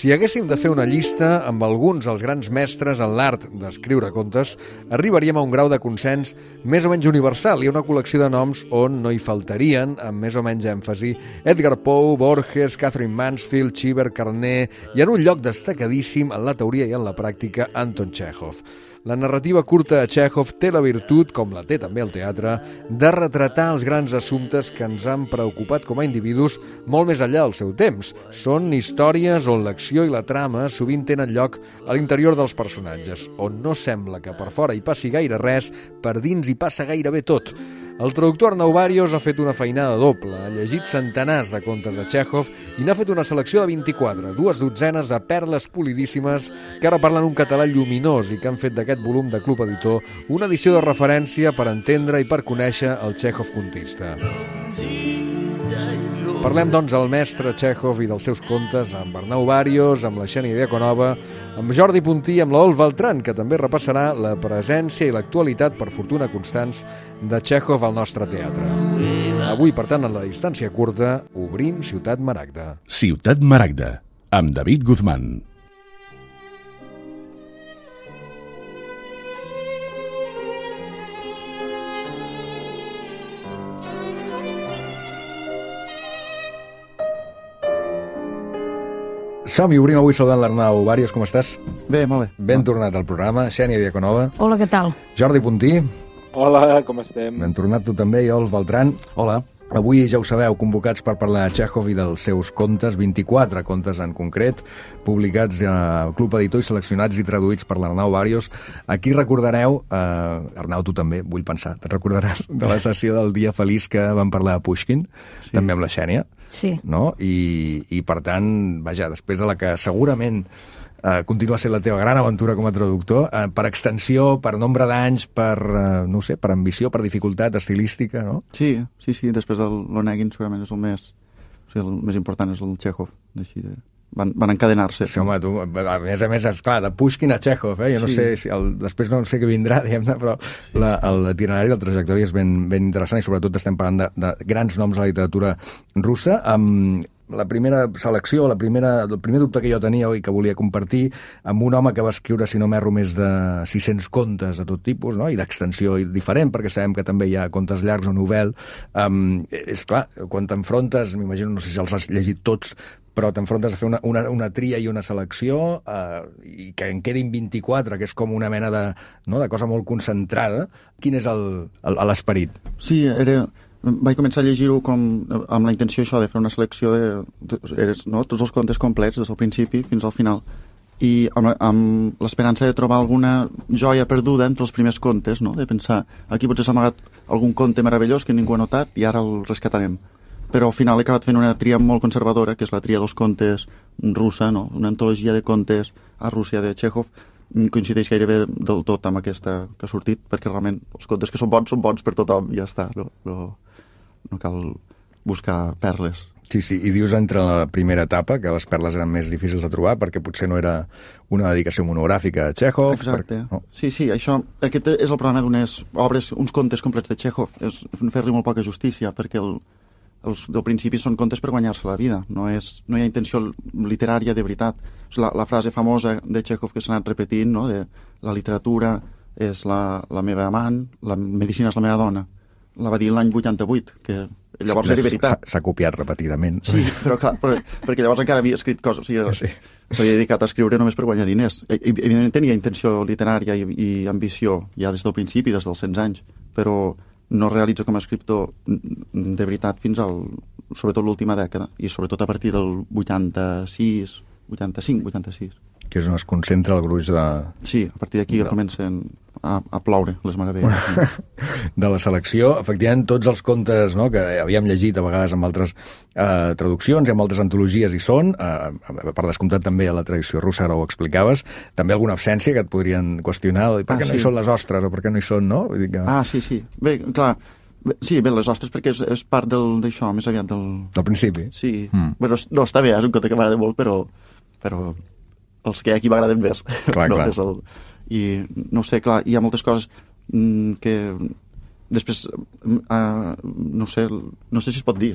Si haguéssim de fer una llista amb alguns dels grans mestres en l'art d'escriure contes, arribaríem a un grau de consens més o menys universal i una col·lecció de noms on no hi faltarien, amb més o menys èmfasi, Edgar Poe, Borges, Catherine Mansfield, Cheever, Carné i en un lloc destacadíssim en la teoria i en la pràctica, Anton Chekhov. La narrativa curta de Chekhov té la virtut, com la té també el teatre, de retratar els grans assumptes que ens han preocupat com a individus molt més enllà del seu temps. Són històries on l'acció i la trama sovint tenen lloc a l'interior dels personatges, on no sembla que per fora hi passi gaire res, per dins hi passa gairebé tot. El traductor Arnau Bàrios ha fet una feinada doble, ha llegit centenars de contes de Chekhov i n'ha fet una selecció de 24, 2 dotzenes de perles polidíssimes que ara parlen un català lluminós i que han fet d'aquest volum de Club Editor una edició de referència per entendre i per conèixer el Chekhov contista. Parlem, doncs, del mestre Chekhov i dels seus contes amb Arnau Bàrios, amb la Xènia Diaconova, amb Jordi Puntí i amb l'Olf Beltran, que també repassarà la presència i l'actualitat, per fortuna constants, de Chekhov al nostre teatre. Avui, per tant, en la distància curta, obrim Ciutat Maragda. Ciutat Maragda, amb David Guzmán. Som-hi, obrim avui saludant l'Arnau Bàrios. Com estàs? Bé, molt bé. Ben tornat al programa. Xènia Diaconova. Hola, què tal? Jordi Puntí. Hola, com estem? Ben tornat tu també, i Olf Beltran. Hola. Avui, ja ho sabeu, convocats per parlar de Chekhov i dels seus contes, 24 contes en concret, publicats a Club Editor i seleccionats i traduïts per l'Arnau Bàrios. Aquí recordareu, Arnau, tu també, vull pensar, te'n recordaràs de la sessió del Dia Feliç que vam parlar de Pushkin, sí, també amb la Xènia, sí, no? I per tant, vaja, després de la que segurament continua sent la teva gran aventura com a traductor, per extensió, per nombre d'anys, per, no sé, per ambició, per dificultat estilística, no? Sí, després del Onegin segurament és el més... O sigui, el més important és el Chekhov. Així de... Van encadenar-se. Sí, home, tu, a més, esclar, de Pushkin a Chekhov, jo no sé, si després no sé què vindrà, diguem-ne, però sí, l'itinerari, la trajectòria és ben interessant i sobretot estem parlant de grans noms de la literatura russa, amb la primera selecció, el primer dubte que jo tenia i que volia compartir amb un home que va escriure, si no m'erro, més de 600 contes de tot tipus, no? I d'extensió diferent, perquè sabem que també hi ha contes llargs o novel. És clar, quan t'enfrontes, m'imagino, no sé si els has llegit tots, però t'enfrontes a fer una tria i una selecció i que en quedin 24, que és com una mena de cosa molt concentrada. Quin és l'esperit? Sí, vaig començar a llegir-ho amb la intenció això de fer una selecció de tots els contes complets des del principi fins al final, i amb l'esperança de trobar alguna joia perduda entre els primers contes, no? De pensar, aquí potser s'ha amagat algun conte meravellós que ningú ha notat i ara el rescatarem. Però al final he acabat fent una tria molt conservadora, que és la tria dels contes russa, no? Una antologia de contes a Rússia de Chekhov. Coincideix gairebé del tot amb aquesta que ha sortit, perquè realment els contes que són bons per tothom, ja està, no cal buscar perles. Sí, i dius entre la primera etapa, que les perles eren més difícils de trobar, perquè potser no era una dedicació monogràfica a Chekhov. Exacte. Sí, aquest és el problema d'unes obres, uns contes complets de Chekhov, és fer-li molt poca justícia, perquè del principi són contes per guanyar-se la vida, no hi ha intenció literària de veritat. La frase famosa de Chekhov que s'ha anat repetint, no? De la literatura és la meva amant, la medicina és la meva dona. La va dir l'any 88, que llavors era veritat. S'ha copiat repetidament. Sí, però clar, perquè llavors encara havia escrit coses, o sigui, s'havia dedicat a escriure només per guanyar diners. Evidentment tenia intenció literària i ambició, ja des del principi, des dels 100 anys, però no realitza com a escriptor de veritat fins sobretot l'última dècada, i sobretot a partir del 86, que és on es concentra el gruix de... Sí, a partir d'aquí comencen a ploure les meravelles. De la selecció, efectivament, tots els contes, no, que havíem llegit a vegades amb altres traduccions i amb altres antologies hi són, per descomptat també a la tradició russa, ara ho explicaves, també alguna absència que et podrien qüestionar, per què no hi són les ostres o per què no hi són, no? Vull dir que... Sí. Bé, clar, les ostres perquè és part d'això, més aviat del principi. Sí, bueno, no, està bé, és un conte que m'agrada molt, però els que aquí m'agraden més. Clar. I no sé, clar, hi ha moltes coses que després no sé si es pot dir.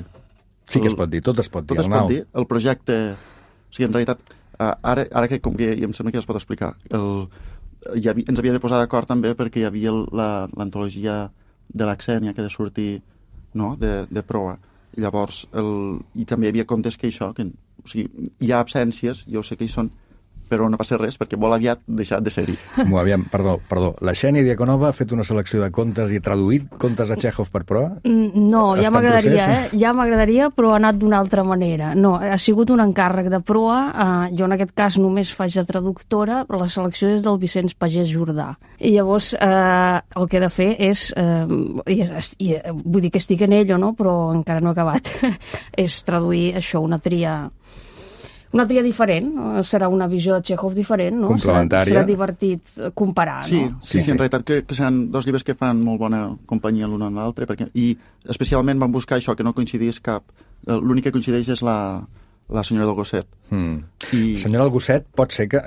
Sí que es pot dir, tot es pot dir. Tot es pot dir. El projecte, o sigui, en realitat ara que com que em sembla que ja es pot explicar, ens havia de posar d'acord també perquè hi havia l'antologia de la Xènia que ha de sortir, no?, de proa. Llavors, i també hi havia contes que això, o sigui, hi ha absències, jo sé que hi són, però no passa res, perquè molt aviat deixat de ser-hi. Aviam, perdó. La Xènia Diakonova ha fet una selecció de contes i ha traduït contes a Txékhov per proa? No, ja m'agradaria, ja m'agradaria, però ha anat d'una altra manera. No, ha sigut un encàrrec de proa. Jo en aquest cas només faig de traductora, però la selecció és del Vicenç Pagès Jordà. I llavors el que he de fer és, vull dir que estic en ello, no?, però encara no he acabat, és traduir això, una tria diferent, serà una visió de Txékhov diferent, no? Complementària. Serà divertit comparar, sí, no? Sí, en realitat que seran dos llibres que fan molt bona companyia l'un amb l'altre, i especialment van buscar això, que no coincidís cap. L'únic que coincideix és la senyora del Gosset. La senyora del Gosset pot ser que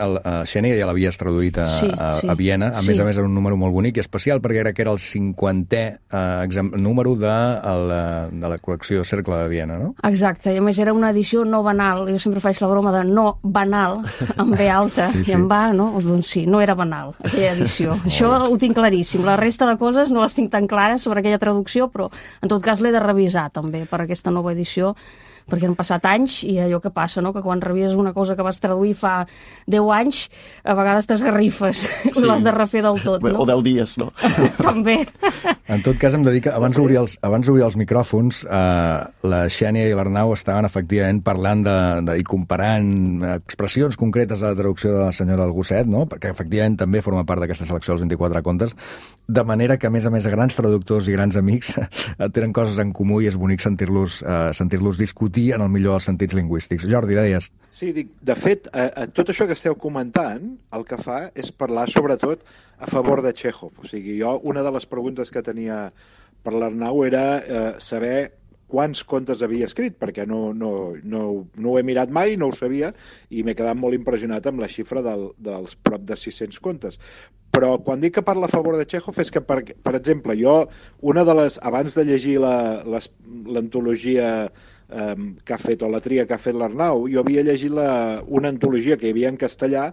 Xènia ja l'havies traduït a Viena, a més en un número molt bonic i especial, perquè crec que era el 50è número de la col·lecció Cercle de Viena, no? Exacte, i a més era una edició no banal. Jo sempre faig la broma de no banal, amb B alta, i en va, no? Doncs sí, no era banal, aquella edició. Això ho tinc claríssim. La resta de coses no les tinc tan clares sobre aquella traducció, però en tot cas l'he de revisar també per aquesta nova edició, perquè han passat anys i allò que passa, no?, que quan revises una cosa que vas traduir fa 10 anys, a vegades t'esgarrifes i l'has de refer del tot, no? O 10 dies, no? També. En tot cas, hem de dir que abans d'obrir els micròfons, la Xènia i l'Arnau estaven efectivament parlant i comparant expressions concretes de la traducció de la senyora del Gosset, no?, perquè efectivament també forma part d'aquesta selecció dels 24 contes, de manera que, a més, grans traductors i grans amics tenen coses en comú i és bonic sentir-los discutir en el millor dels sentits lingüístics. Jordi, deies? Sí, dic, de fet, tot això que esteu comentant, el que fa és parlar sobretot a favor de Txékhov. O sigui, una de les preguntes que tenia per l'Arnau era saber quants contes havia escrit, perquè no ho he mirat mai, no ho sabia, i m'he quedat molt impressionat amb la xifra dels prop de 600 contes. Però quan dic que parla a favor de Txékhov és que, per exemple, jo, abans de llegir l'antologia que ha fet, o la tria que ha fet l'Arnau, jo havia llegit una antologia que hi havia en castellà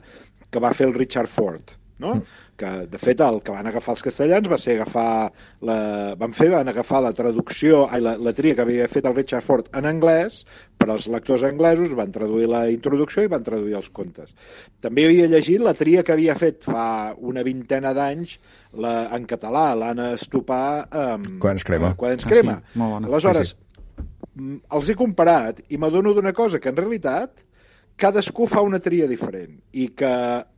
que va fer el Richard Ford, no? Que, de fet, el que van agafar els castellans van agafar la traducció, la tria que havia fet el Richard Ford en anglès, per als lectors anglesos, van traduir la introducció i van traduir els contes. També havia llegit la tria que havia fet fa una vintena d'anys en català, l'Anna Estopà... Quadens Crema. Sí, molt bona. Aleshores, els he comparat i m'adono d'una cosa, que en realitat cadascú fa una tria diferent i que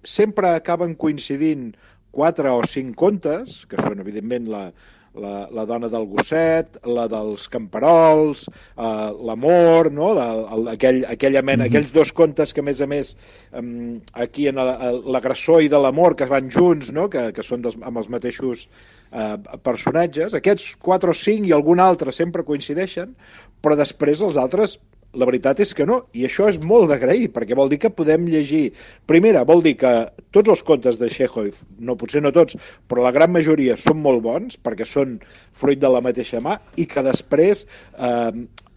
sempre acaben coincidint 4 o 5 contes, que són evidentment la dona del Gosset, la dels camperols, l'amor, no? Aquells 2 contes que, a més, aquí en l'agressor i de l'amor, que van junts, no? Que són amb els mateixos personatges. Aquests 4 o 5 i algun altre sempre coincideixen, però després els altres, la veritat és que no, i això és molt d'agrair, perquè vol dir que podem llegir... Primera, vol dir que tots els contes de Txékhov, potser no tots, però la gran majoria són molt bons, perquè són fruit de la mateixa mà, i que després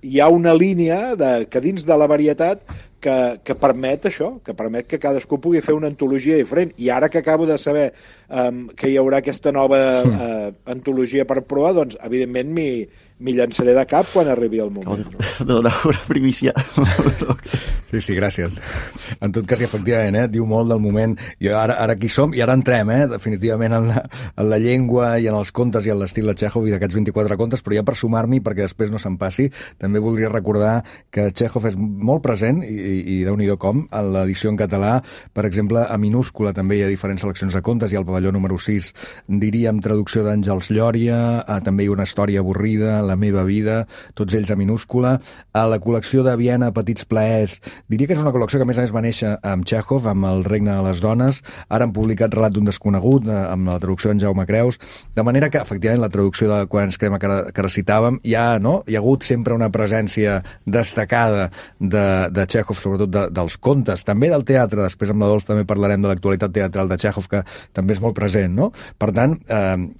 hi ha una línia que dins de la varietat que permet això, que permet que cadascú pugui fer una antologia diferent. I ara que acabo de saber que hi haurà aquesta nova antologia per proa, doncs, evidentment, m'hi llançaré de cap quan arribi el moment. De donar una primícia. Sí, gràcies. En tot cas, efectivament, diu molt del moment. I ara aquí som, i ara entrem, definitivament, en la llengua i en els contes i en l'estil de Txékhov i d'aquests 24 contes, però ja per sumar-m'hi, perquè després no se'n passi, també voldria recordar que Txékhov és molt present, i Déu-n'hi-do com, en l'edició en català, per exemple, a minúscula també hi ha diferents seleccions de contes, i al pavelló número 6, diríem, traducció d'Àngels Llòria, també hi ha una història avorrida, La meva vida, tots ells a minúscula. A la col·lecció de Viena, Petits plaers, diria que és una col·lecció que a més va néixer amb Txékhov, amb El regne de les dones. Ara han publicat Relat d'un desconegut, amb la traducció d'en Jaume Creus, de manera que, efectivament, la traducció de Quadens Crema que recitàvem, hi ha hagut sempre una presència destacada de Txékhov, sobretot dels contes, també del teatre. Després amb la Dols també parlarem de l'actualitat teatral de Txékhov, que també és molt present, no? Per tant,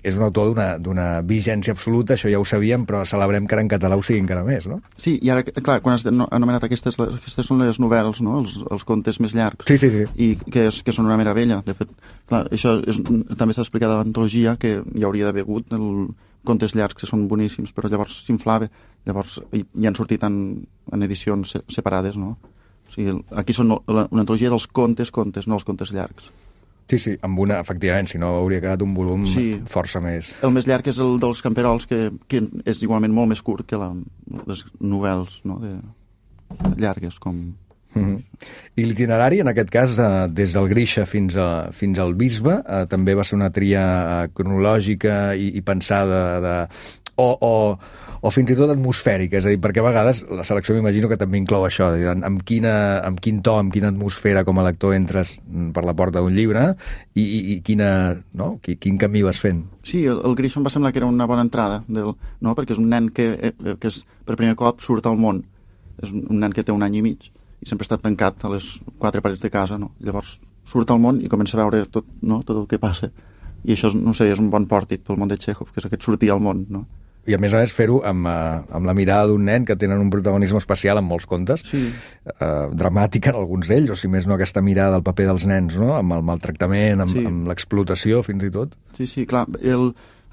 és un autor d'una vigència absoluta, això ja ho sabíem, però però celebrem que ara en català ho sigui encara més, no? Sí, i ara, clar, quan has anomenat aquestes són les novel·les, no? Els contes més llargs. Sí. I que són una meravella. De fet, clar, això també s'ha explicat a l'antologia, que hi hauria d'haver hagut contes llargs que són boníssims, però llavors s'inflava. Llavors hi han sortit en edicions separades, no? O sigui, aquí són una antologia dels contes, no els contes llargs. Sí, amb una, efectivament, si no hauria quedat un volum força més... El més llarg és el dels camperols, que és igualment molt més curt que les novel·les, no? Llargues, com... I l'itinerari, en aquest cas, des del Grisha fins al Bisbe, també va ser una tria cronològica i pensada o fins i tot atmosfèrica, és a dir, perquè a vegades la selecció m'imagino que també inclou això, amb quin to, amb quina atmosfera com a lector entres per la porta d'un llibre i quin camí vas fent. Sí, el Grisha em va semblar que era una bona entrada, perquè és un nen que per primer cop surt al món. És un nen que té 1 any i mig i sempre ha estat tancat a les 4 parets de casa, no? Llavors surt al món i comença a veure tot el que passa. I això, no sé, és un bon pòrtic pel món de Chekhov, que és aquest sortir al món, no? I a més fer-ho amb la mirada d'un nen que tenen un protagonisme especial en molts contes, dramàtica en alguns d'ells, o si més no aquesta mirada al paper dels nens, no? Amb el maltractament, amb l'explotació fins i tot. Sí, clar.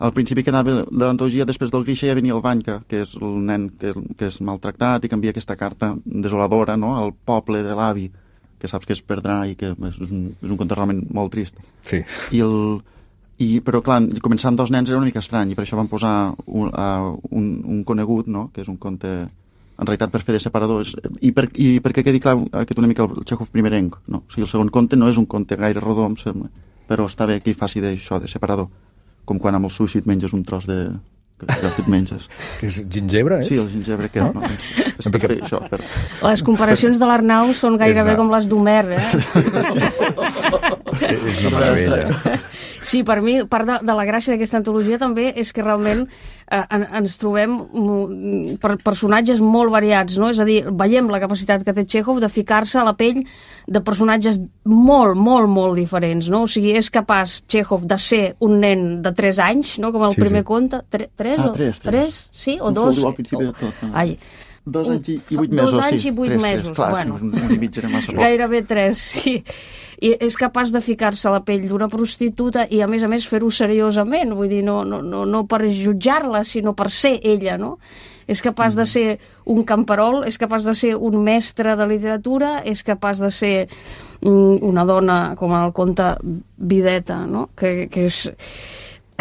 Al principi que anava de l'antologia, després del Grisha ja venia el Vanka, que és el nen que és maltractat i que envia aquesta carta desoladora, no?, al poble de l'avi, que saps que es perdrà i que és un conte realment molt trist. Sí. Però, clar, començant 2 nens era una mica estrany, i per això van posar un conegut, no?, que és un conte, en realitat, per fer de separadors, i perquè quedi clar que una mica el Chekhov primerenc, no? O sigui, el segon conte no és un conte gaire rodó, em sembla, però està bé que hi faci d'això, de separador, com quan amb el sushi et menges un tros que et menges. És gingebre, eh? Sí, el gingebre aquest, no? És per fer això. Les comparacions de l'Arnau són gairebé com les d'Homer, És una meravella. Sí, per mi, part de la gràcia d'aquesta antologia també és que realment ens trobem personatges molt variats, no? És a dir, veiem la capacitat que té Chekhov de ficar-se a la pell de personatges molt, molt, molt diferents, no? O sigui, és capaç Chekhov de ser un nen de 3 anys, no? Com el primer conte. 3? Sí, o 2? Al principi de tot. Ai, 2 anys i 8 mesos, 2 anys i 8 mesos. Clar, bueno, un i mig era massa poc. Gairebé 3, sí. I és capaç de ficar-se a la pell d'una prostituta i, a més fer-ho seriosament, vull dir, no per jutjar-la, sinó per ser ella, no? És capaç de ser un camperol, és capaç de ser un mestre de literatura, és capaç de ser una dona, com en el conte Videta, no?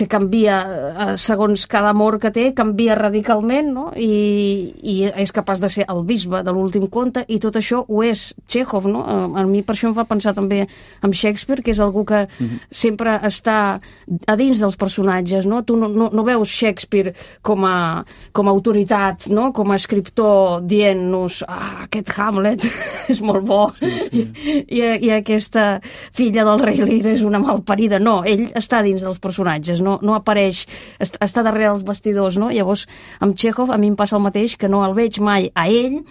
Que canvia segons cada amor que té, canvia radicalment, no? I és capaç de ser el bisbe de l'últim conte, i tot això ho és Chekhov, no? A mi per això em fa pensar també en Shakespeare, que és algú que sempre està a dins dels personatges, no? Tu no veus Shakespeare com a autoritat, no? Com a escriptor dient-nos aquest Hamlet és molt bo, i aquesta filla del rei Lear és una malparida. No, ell està dins dels personatges, no apareix, està darrere els bastidors, no? Llavors, amb Chekhov a mi em passa el mateix, que no el veig mai a ell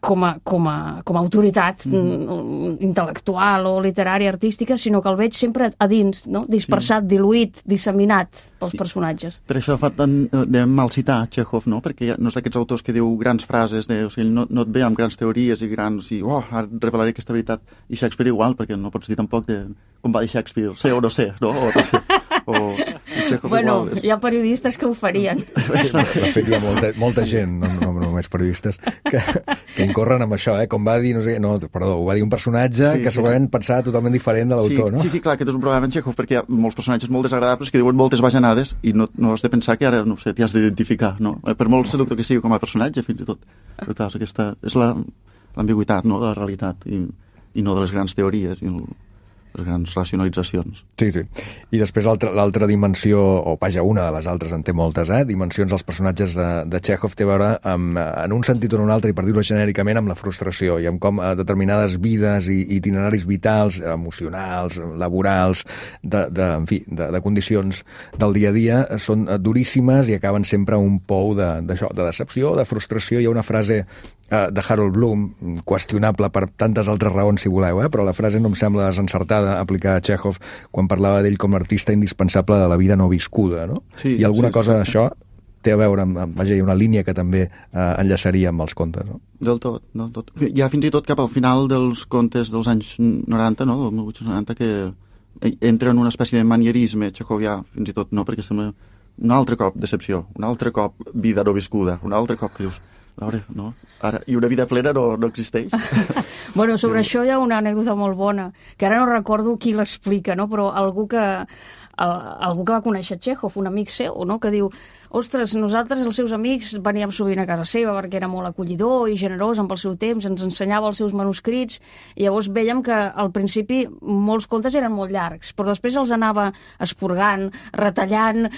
com a autoritat intel·lectual o literària, artística, sinó que el veig sempre a dins, no? Dispersat, diluït, disseminat pels personatges. Per això fa tant de mal citar Chekhov, no? Perquè no és d'aquests autors que diu grans frases, o sigui, no et ve amb grans teories i grans, ara revelaré aquesta veritat. I Shakespeare igual, perquè no pots dir tampoc com va dir Shakespeare, sé o no sé, no? O no sé. Bueno, igual. Hi ha periodistes que ho farien. De fet, hi ha molta gent, no només periodistes, que incorren amb això, com va dir, ho va dir un personatge que segurament pensava totalment diferent de l'autor, no? Sí, clar, aquest és un problema en Chekhov, perquè hi ha molts personatges molt desagradables que diuen moltes bajanades i no has de pensar que ara, no sé, t'hi has d'identificar, no? Per molt seductor que sigui com a personatge, fins i tot. Però clar, aquesta és l'ambigüitat, no?, de la realitat i no de les grans teories i les grans racionalitzacions. Sí. I després l'altra dimensió, o vaja, una de les altres, en té moltes, dimensions dels personatges de Chekhov, té a veure en un sentit o en un altre, i per dir-ho genèricament, amb la frustració i amb com determinades vides i itineraris vitals, emocionals, laborals, de condicions del dia a dia, són duríssimes i acaben sempre a un pou de decepció, de frustració. Hi ha una frase de Harold Bloom, qüestionable per tantes altres raons, si voleu, però la frase no em sembla desencertada aplicar a Chekhov quan parlava d'ell com l'artista indispensable de la vida no viscuda, no? Sí, Hi ha alguna cosa d'això? té a veure vaja, hi ha una línia que també enllaçaria amb els contes, no? Del tot, del tot. Hi ha fins i tot cap al final dels contes dels anys 90, no? Del 1890, que entra en una espècie de manierisme txecovià, fins i tot no, perquè sembla un altre cop decepció, un altre cop vida no viscuda, un altre cop que dius, a veure, no? Ara, i una vida plena no existeix. Bueno, sobre això hi ha una anècdota molt bona, que ara no recordo qui l'explica, no? Però algú que va conèixer Txékhov, un amic seu, no? Que diu, ostres, nosaltres, els seus amics, veníem sovint a casa seva perquè era molt acollidor i generós amb el seu temps, ens ensenyava els seus manuscrits, i llavors vèiem que al principi molts contes eren molt llargs, però després els anava esporgant, retallant,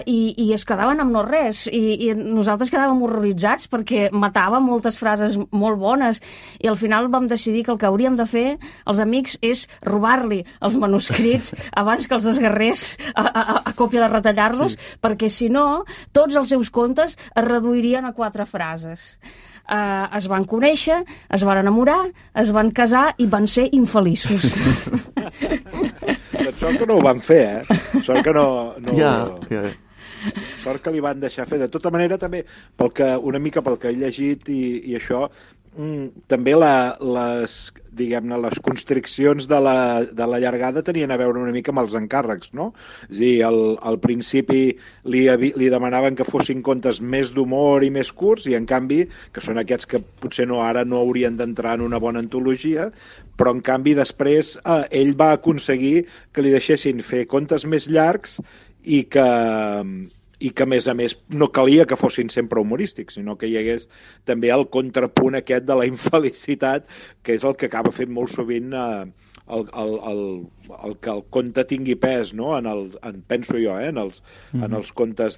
i es quedaven amb no res, i nosaltres quedàvem horroritzats perquè matava moltes frases molt bones, i al final vam decidir que el que hauríem de fer els amics és robar-li els manuscrits abans que els esguerrés a còpia de retallar-los, perquè si no, tots els seus contes es reduirien a 4 frases. Es van conèixer, es van enamorar, es van casar i van ser infeliços. Sort que no ho van fer, Sort que no... Ja. Sort que li van deixar fer. De tota manera, també, una mica pel que he llegit i això, també les constriccions de la llargada tenien a veure una mica amb els encàrrecs, no? És a dir, al principi li demanaven que fossin contes més d'humor i més curts, i en canvi, que són aquests que potser ara no haurien d'entrar en una bona antologia, però en canvi després ell va aconseguir que li deixessin fer contes més llargs i que a més, no calia que fossin sempre humorístics, sinó que hi hagués també el contrapunt aquest de la infelicitat, que és el que acaba fent molt sovint el que el conte tingui pes, no? Penso jo, en els contes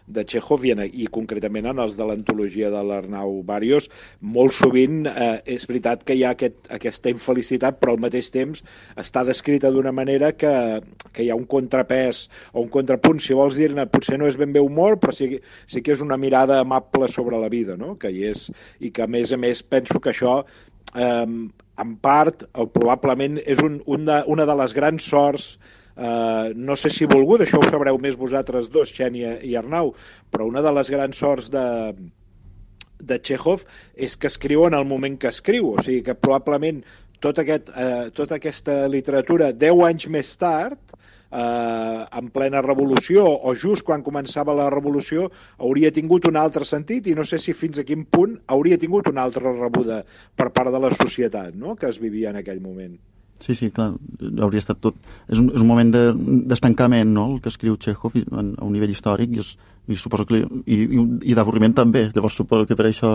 de Txékhov i concretament en els de l'antologia de l'Arnau Barrios, molt sovint és veritat que hi ha aquesta infelicitat, però al mateix temps està descrita d'una manera que hi ha un contrapès o un contrapunt, si vols dir-ne, potser no és ben bé humor, però sí que és una mirada amable sobre la vida, no? Que hi és, i que a més penso que això en part, o probablement és una de les grans sorts, no sé si volgut, això ho sabreu més vosaltres dos, Xènia i Arnau, però una de les grans sorts de Txékhov és que escriu en el moment que escriu, o sigui que probablement tota aquesta literatura 10 anys més tard, en plena revolució o just quan començava la revolució, hauria tingut un altre sentit, i no sé si fins a quin punt hauria tingut una altra rebuda per part de la societat, no?, que es vivia en aquell moment. Sí, clar, hauria estat tot... És un moment d'estancament, no?, el que escriu Txékhov a un nivell històric, i suposo que i d'avorriment també. Llavors suposo que per això,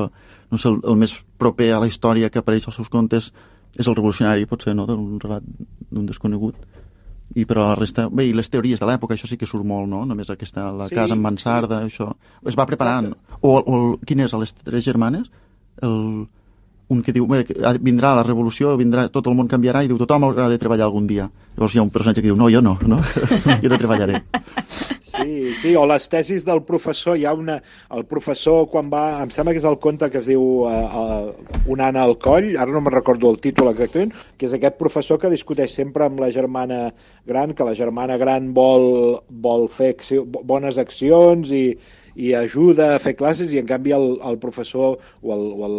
no sé, el més proper a la història que apareix als seus contes és el revolucionari, potser, no?, d'un relat d'un desconegut. Però la resta... Bé, i les teories de l'època, això sí que surt molt, no?, només aquesta, la casa en mansarda, això... Es va preparant. Quin és, a les 3 germanes? Un que diu, vindrà la revolució, tot el món canviarà, i diu, tothom haurà de treballar algun dia. Llavors hi ha un personatge que diu, no, jo no, jo no treballaré. Sí, o les tesis del professor, el professor quan va, em sembla que és el conte que es diu Un ànec al coll, ara no me'n recordo el títol exactament, que és aquest professor que discuteix sempre amb la germana gran, que la germana gran vol fer bones accions i ajuda a fer classes, i en canvi el professor o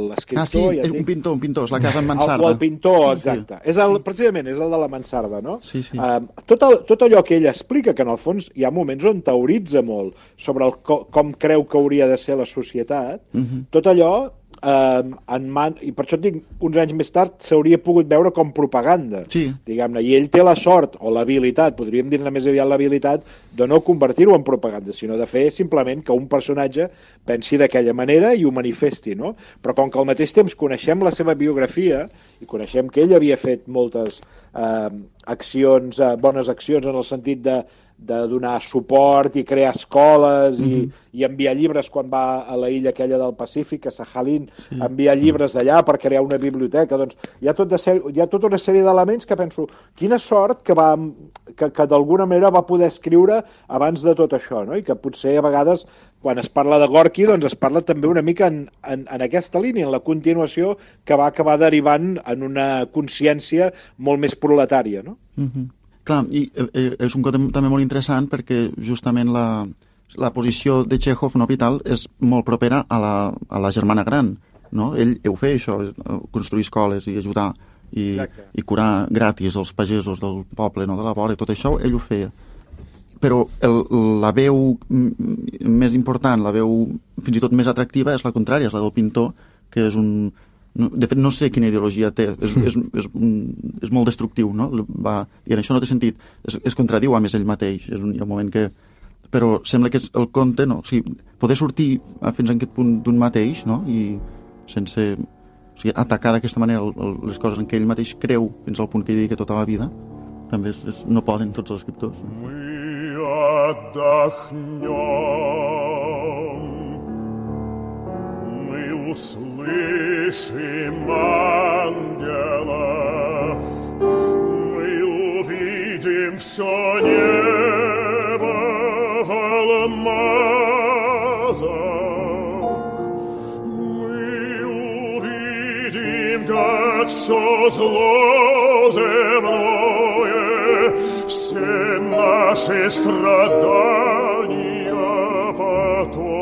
l'escriptor... és un pintor, és la casa en mansarda. O el pintor, exacte. Sí. Precisament, és el de la mansarda, no? Sí. Tot allò que ell explica, que en el fons hi ha moments on teoritza molt sobre com creu que hauria de ser la societat, tot allò... i per això et dic, uns anys més tard s'hauria pogut veure com propaganda, diguem-ne, i ell té la sort o l'habilitat, podríem dir-ne més aviat l'habilitat, de no convertir-ho en propaganda, sinó de fer simplement que un personatge pensi d'aquella manera i ho manifesti, no? Però com que al mateix temps coneixem la seva biografia i coneixem que ell havia fet moltes bones accions en el sentit de donar suport i crear escoles i enviar llibres quan va a la illa aquella del Pacífic, a Sajalín, enviar llibres allà per crear una biblioteca. Doncs hi ha tota una sèrie d'elements que penso, quina sort que d'alguna manera va poder escriure abans de tot això, no? I que potser a vegades quan es parla de Gorky doncs es parla també una mica en aquesta línia, en la continuació que va acabar derivant en una consciència molt més proletària, no? Clar, i és un conte també molt interessant perquè justament la posició de Chekhov, no vital, és molt propera a la germana gran, no? Ell ho feia, això, construir escoles i ajudar i curar gratis els pagesos del poble, no? De la vora, i tot això ell ho feia. Però la veu més important, la veu fins i tot més atractiva, és la contrària, és la del pintor, que és un... De fet, no sé quina ideologia té, és molt destructiu, no? I en això no té sentit. Es contradiu a més ell mateix, hi ha un moment que... Però sembla que el conte, no? O sigui, poder sortir fins a aquest punt d'un mateix, no? I sense... O sigui, atacar d'aquesta manera les coses en què ell mateix creu fins al punt que ell dedica tota la vida, també no poden tots els escriptors. Услышим ангелов, мы увидим все небо в алмазах, мы увидим, как все зло земное, все наши страдания потом.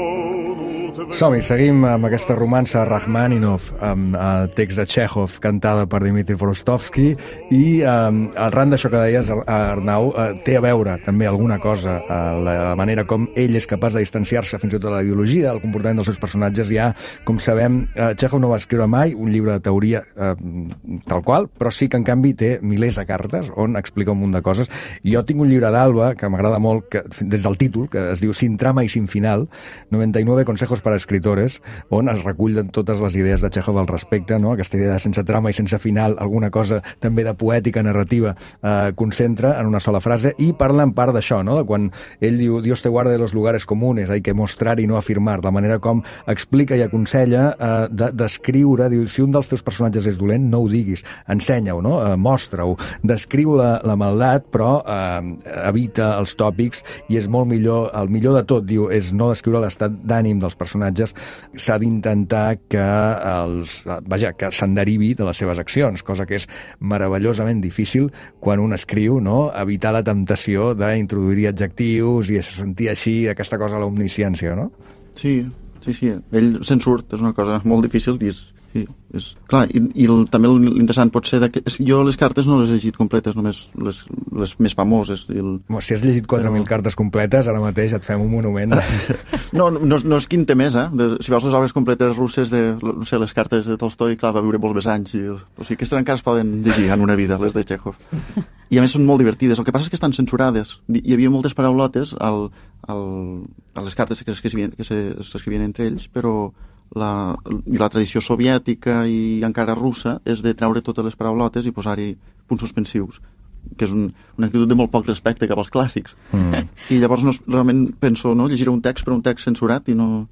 Som-hi, seguim amb aquesta romança Rachmaninov, amb el text de Chekhov, cantada per Dmitri Frostovsky, i arran d'això que deies, Arnau, té a veure també alguna cosa, la manera com ell és capaç de distanciar-se fins i tot de la ideologia, del comportament dels seus personatges. Ja, com sabem, Chekhov no va escriure mai un llibre de teoria tal qual, però sí que, en canvi, té milers de cartes on explica un munt de coses. Jo tinc un llibre d'Alba que m'agrada molt, des del títol, que es diu Sin trama y sin final, 99 consejos para escritores, on es recullen totes les idees de Chekhov al respecte, no? Aquesta idea de sense trama i sense final, alguna cosa també de poètica narrativa, concentra en una sola frase, i parla en part d'això, no? De quan ell diu Dios te guarde de los lugares comunes, hay que mostrar y no afirmar, la manera com explica i aconsella d'escriure, diu, si un dels teus personatges és dolent, no ho diguis, ensenya-ho, no? Mostra-ho, descriu la maldat, però evita els tòpics, i és molt millor, el millor de tot, diu, és no descriure l'estat d'ànim dels personatges, s'ha d'intentar que se'n derivi de les seves accions, cosa que és meravellosament difícil quan un escriu, no? Evitar la temptació d'introduir adjectius i sentir així aquesta cosa a l'omnisciència, no? Sí, ell se'n surt, és una cosa molt difícil i clar, també l'interessant pot ser jo les cartes no les he llegit completes, només les més famoses. Si has llegit 4.000 cartes completes, ara mateix et fem un monument. No és quin té més, si veus les obres completes russes no sé, les cartes de Tolstoi, clar, va viure molts més anys, o sigui, aquestes encara es poden llegir en una vida, les de Chekhov. I a més són molt divertides. El que passa és que estan censurades. Hi havia moltes paraulotes a les cartes que s'escrivien entre ells, però la tradició soviètica i encara russa és de treure totes les paraulotes i posar-hi punts suspensius, que és una actitud de molt poc respecte cap als clàssics. I llavors realment penso, no, llegir un text per un text censurat i no...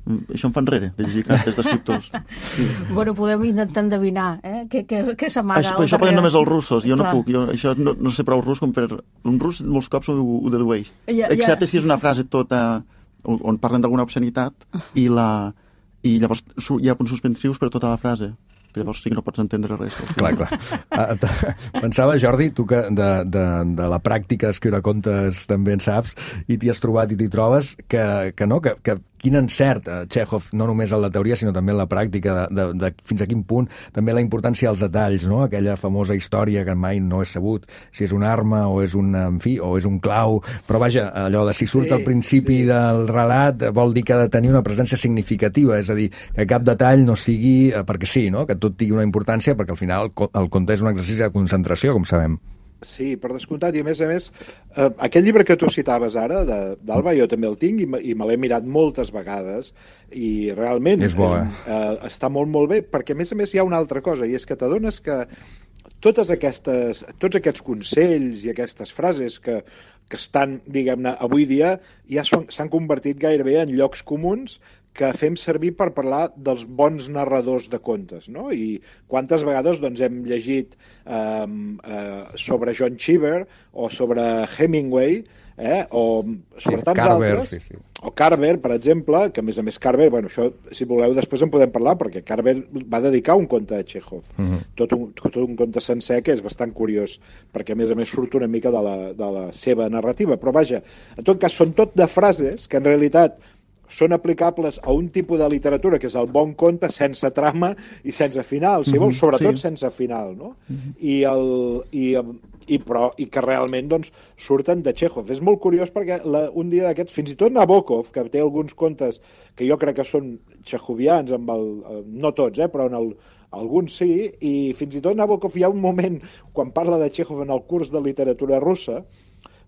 Això em fa enrere, de llegir cartes d'escriptors. Sí. Bueno, podem intentar endevinar què s'amaga al darrere. Això poden només els russos, jo no puc. Això no sé prou rus com per... Un rus molts cops ho dedueix. Excepte si és una frase tota on parlen d'alguna obscenitat i llavors hi ha punts suspensius per tota la frase. Llavors sí que no pots entendre res. Clar. Pensava, Jordi, tu que de la pràctica d'escriure contes també en saps, i t'hi has trobat i t'hi trobes, que quin encert Chekhov, no només en la teoria, sinó també en la pràctica, de fins a quin punt també la importància dels detalls, no? Aquella famosa història que mai no és sabut si és una arma o és un clau, però vaja, allò de si surt al principi del relat vol dir que ha de tenir una presència significativa, és a dir, que cap detall no sigui perquè sí, no? Que tot tingui una importància, perquè al final el conte és un exercici de concentració, com sabem. Sí, per descomptat, i a més, aquest llibre que tu citaves ara, d'Alba, jo també el tinc i me l'he mirat moltes vegades i realment és bo, està molt bé, perquè a més hi ha una altra cosa, i és que t'adones que tots aquests consells i aquestes frases que estan, diguem-ne, avui dia ja s'han convertit gairebé en llocs comuns que fem servir per parlar dels bons narradors de contes, no? I quantes vegades hem llegit sobre John Cheever o sobre Hemingway, o sobre tants Carver, altres, O Carver, per exemple, que a més Carver, bueno, això, si voleu, després en podem parlar, perquè Carver va dedicar un conte a Chekhov. Tot un conte sencer que és bastant curiós, perquè a més surt una mica de la seva narrativa. Però vaja, en tot cas, són tot de frases que en realitat són aplicables a un tipus de literatura, que és el bon conte sense trama i sense final, si vols, sobretot sense final, no? I que realment doncs, surten de Chekhov. És molt curiós perquè un dia d'aquests, fins i tot Nabokov, que té alguns contes que jo crec que són txekhovians, no tots, però alguns sí, i fins i tot Nabokov hi ha un moment, quan parla de Chekhov en el curs de literatura russa,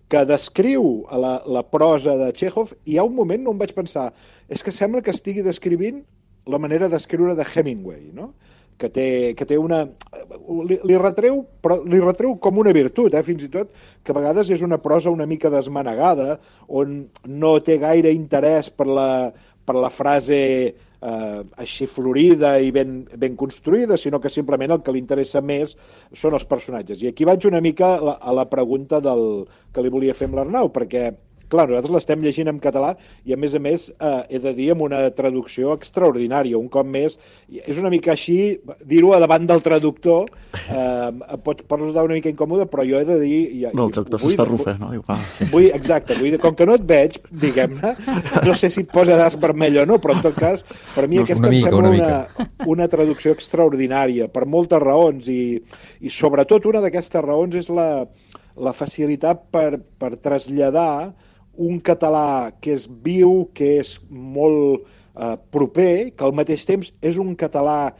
que descriu la prosa de Chekhov, i hi ha un moment on vaig pensar, és que sembla que estigui descrivint la manera d'escriure de Hemingway, no? Que té una... Li retreu com una virtut, fins i tot, que a vegades és una prosa una mica desmanegada, on no té gaire interès per la frase així florida i ben construïda, sinó que simplement el que li interessa més són els personatges. I aquí vaig una mica a la pregunta que li volia fer amb l'Arnau, perquè clar, nosaltres l'estem llegint en català i, a més, he de dir amb una traducció extraordinària. Un cop més, és una mica així, dir-ho davant del traductor, pot resultar una mica incòmode, però jo he de dir... No, el traductor s'està rufant, no? Exacte, com que no et veig, diguem-ne, no sé si et posaràs vermell o no, però en tot cas, per mi aquesta em sembla una traducció extraordinària, per moltes raons, i sobretot una d'aquestes raons és la facilitat per traslladar un català que és viu, que és molt proper, que al mateix temps és un català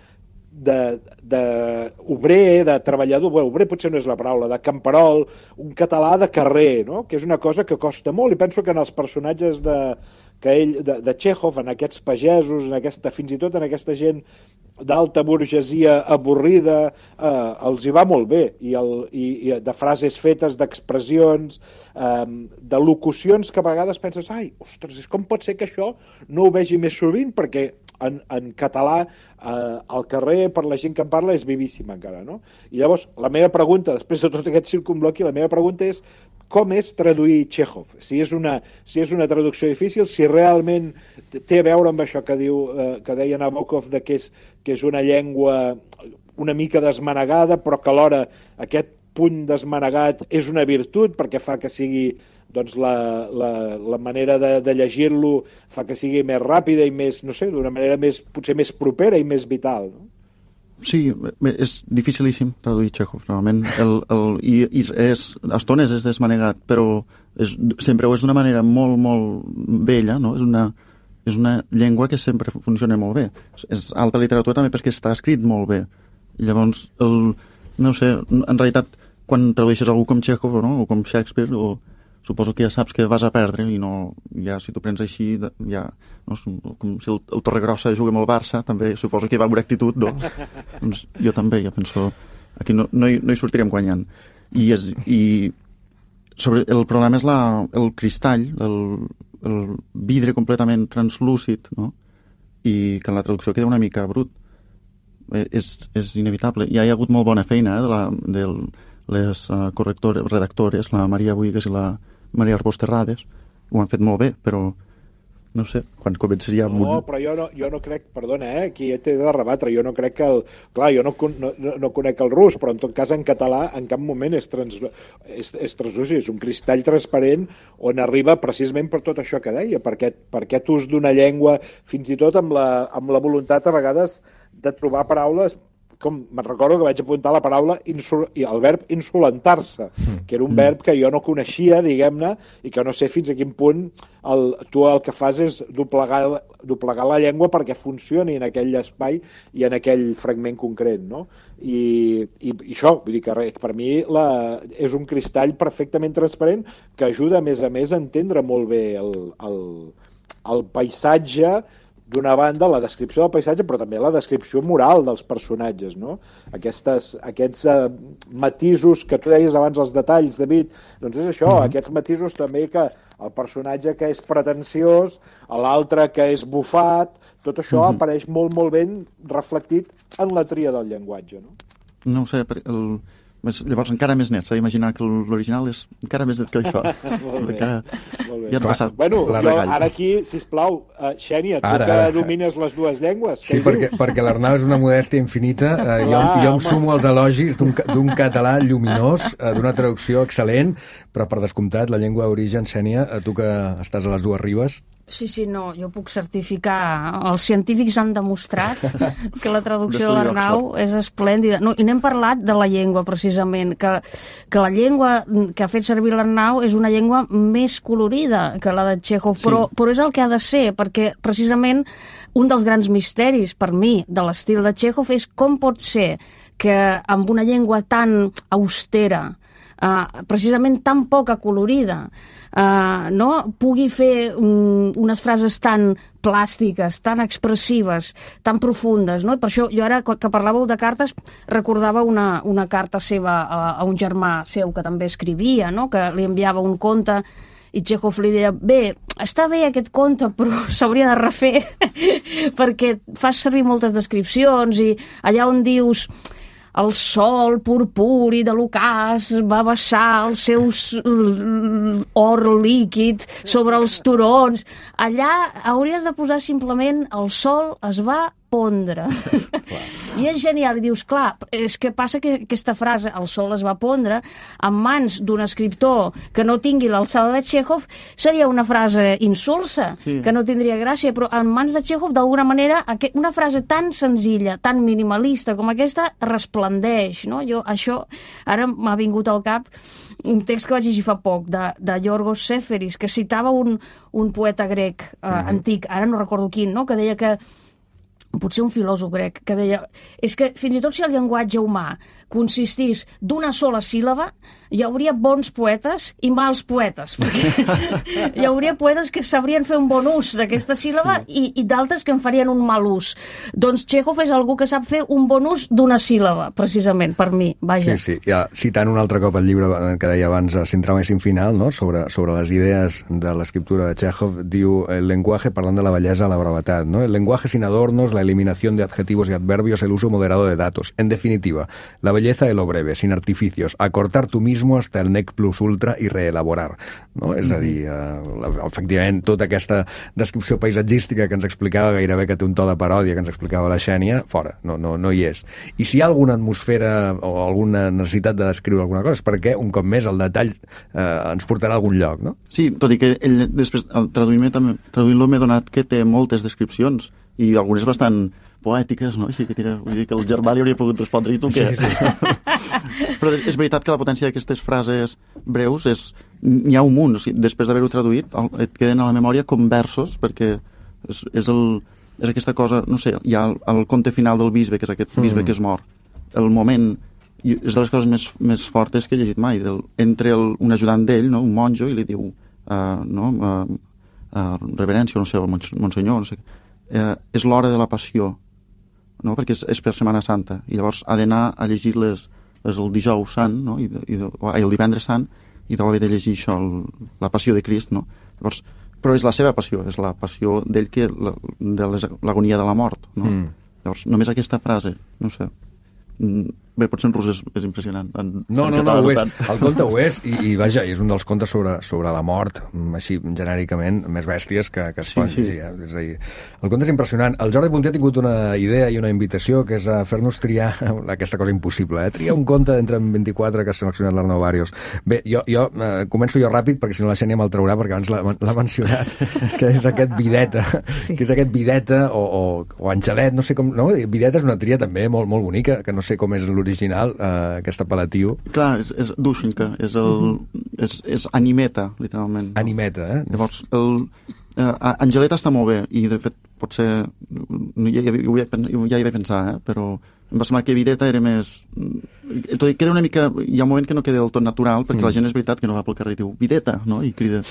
d'obrer, de treballador, bueno, obrer potser no és la paraula, de camperol, un català de carrer, no? Que és una cosa que costa molt, i penso que en els personatges de Chekhov, en aquests pagesos, fins i tot en aquesta gent d'alta burgesia avorrida, els hi va molt bé, i de frases fetes, d'expressions, de locucions que a vegades penses, ai, ostres, com pot ser que això no ho vegi més sovint, perquè en català al carrer, per la gent que en parla, és vivíssim encara, no? I llavors, la meva pregunta, després de tot aquest circumloqui, la meva pregunta és com és traduir Chekhov? Si és una traducció difícil, si realment té a veure amb això que deia Nabokov, que és una llengua una mica desmanegada, però que alhora aquest punt desmanegat és una virtut perquè fa que sigui doncs la manera de llegir-lo fa que sigui més ràpida i més, no sé, d'una manera potser més propera i més vital, no? Sí, és dificilíssim traduir Chekhov, normalment. A estones és desmanegat, però sempre ho és d'una manera molt, molt bella, no? És una llengua que sempre funciona molt bé. És alta literatura també perquè està escrit molt bé. I llavors, no sé, en realitat, quan tradueixes algú com Chekhov, no? O com Shakespeare, suposo que ja saps que vas a perdre i no, ja si t'ho prens així, ja, no, com si el Torregrossa juga amb el Barça, també suposo que va amb una actitud, doncs jo també, ja penso, aquí no hi sortirem guanyant. I sobre el problema és el cristall, el vidre completament translúcid, no? I que en la traducció queda una mica brut. És inevitable. Ja hi ha hagut molt bona feina de les redactores, la Maria Buigas i la Maria Arbós Terrades, ho han fet molt bé, però no sé, quan comences ja... No, però jo no crec, perdona, aquí t'he de rebatre, jo no crec que clar, jo no conec el rus, però en tot cas en català en cap moment és translúcid, és un cristall transparent on arriba precisament per tot això que deia, per aquest ús d'una llengua, fins i tot amb la voluntat a vegades de trobar paraules, com me'n recordo que vaig apuntar la paraula el verb insolentar-se, que era un verb que jo no coneixia, diguem-ne, i que no sé fins a quin punt tu el que fas és doblegar la llengua perquè funcioni en aquell espai i en aquell fragment concret, no? I això, vull dir que per mi és un cristall perfectament transparent que ajuda, a més, a entendre molt bé el paisatge, d'una banda, la descripció del paisatge, però també la descripció moral dels personatges, no? Aquests matisos que tu deies abans, els detalls, David, doncs és això, aquests matisos també que el personatge que és pretensiós, l'altre que és bufat, tot això apareix molt, molt ben reflectit en la tria del llenguatge, no? No ho sé, Llavors encara més net, s'ha d'imaginar que l'original és encara més net que això. Molt bé. Molt bé. Ja t'ha passat. Bueno, la jo, regall. ara aquí, sisplau, Xènia, tu Ara, que ara. domines les dues llengües, Sí, què hi dius? perquè l'Arnau és una modèstia infinita. Jo em home. sumo als elogis d'un català lluminós, d'una traducció excel·lent, però per descomptat, la llengua d'origen, Xènia, tu que estàs a les dues ribes... Sí, no, jo puc certificar. Els científics han demostrat que la traducció de D'estudi l'Arnau és esplèndida. No, i n'hem parlat de la llengua, precisament, que la llengua que ha fet servir l'Arnau és una llengua més colorida que la de Txékhov, Sí. però és el que ha de ser, perquè precisament un dels grans misteris, per mi, de l'estil de Txékhov és com pot ser que amb una llengua tan austera, precisament tan poc acolorida, no pugui fer unes frases tan plàstiques, tan expressives, tan profundes, no? I per això jo ara, que parlàveu de cartes, recordava una carta seva a un germà seu que també escrivia, no? Que li enviava un conte i Txékhov li deia, bé, està bé aquest conte, però s'hauria de refer perquè fas servir moltes descripcions i allà on dius el sol purpuri de l'ocàs va vessar els seus or líquid sobre els turons. Allà hauries de posar simplement el sol es va pondre. I és genial. I dius, clar, és que passa que aquesta frase, el sol es va pondre, en mans d'un escriptor que no tingui l'alçada de Txékhov, seria una frase insulsa, que no tindria gràcia, però en mans de Txékhov, d'alguna manera, una frase tan senzilla, tan minimalista com aquesta, resplendeix, no? Jo, això, ara m'ha vingut al cap un text que vaig llegir fa poc, de Yorgos Seferis, que citava un poeta grec antic, ara no recordo quin, no? Que deia que potser un filòsof grec, que deia és que fins i tot si el llenguatge humà consistís d'una sola síl·laba, hi hauria bons poetes i mals poetes. Hi hauria poetes que sabrien fer un bon ús d'aquesta síl·laba i d'altres que en farien un mal ús. Doncs Txékhov és algú que sap fer un bon ús d'una síl·laba, precisament, per mi. Vaja. Sí. Ja, citant un altre cop el llibre que deia abans, Sin trama y sin final, no? sobre les idees de l'escriptura de Txékhov, diu el lenguaje, parlant de la bellesa a la brevetat, ¿no? El lenguaje sin adornos, la eliminación de adjetivos y adverbios, el uso moderado de datos. En definitiva, la belleza de lo breve, sin artificios, acortar tú mismo hasta el nec plus ultra i reelaborar. No? És a dir, efectivament, tota aquesta descripció paisatgística que ens explicava gairebé que té un to de paròdia que ens explicava la Xènia, fora, no hi és. I si hi ha alguna atmosfera o alguna necessitat de descriure alguna cosa és perquè, un cop més, el detall ens portarà a algun lloc, no? Sí, tot i que ell després, traduint-lo m'he donat que té moltes descripcions i algunes bastant poètiques, no? Així que vull dir que el germà li hauria pogut respondre i tu què? Sí. Però és veritat que la potència d'aquestes frases breus n'hi ha un munt, o sigui, després d'haver-ho traduït et queden a la memòria com versos, perquè és aquesta cosa, no sé, hi ha el conte final del bisbe, que és aquest bisbe que es mor, el moment, i és de les coses més fortes que he llegit mai, entre un ajudant d'ell, no? Un monjo, i li diu reverència, no sé, el monsenyor, no sé, és l'hora de la passió, no? Perquè és per Setmana Santa, i llavors ha d'anar a llegir-les el dijous sant, no? El divendres sant, i deu haver de llegir això, la passió de Crist, no? Llavors, però és la seva passió, és la passió d'ell de l'agonia de la mort, no? Llavors, només aquesta frase, no sé, bé, potser en rus és impressionant. No, ho és. El conte ho és, i vaja, és un dels contes sobre la mort, així genèricament, més bèsties que es poden llegir. És a dir, el conte és impressionant. El Jordi Punté ha tingut una idea i una invitació, que és a fer-nos triar aquesta cosa impossible, triar un conte d'entre 24 que ha seleccionat l'Arnau Barrios. Bé, jo començo jo ràpid, perquè si no la Xènia me'l traurà, perquè abans l'ha mencionat, que és aquest videta, que és aquest videta o angelet, no sé com... No? Videta és una tria també molt, molt bonica, que no sé com és l'original, aquest apel·latiu. Clar, és Dushinka, és animeta, literalment. Animeta, eh? Llavors, Angeleta està molt bé, i de fet potser ja hi vaig pensar, però em va semblar que videta era més... Tot i queda una mica... Hi ha un moment que no queda del tot natural, perquè la gent és veritat que no va pel carrer i diu videta, no? I crida.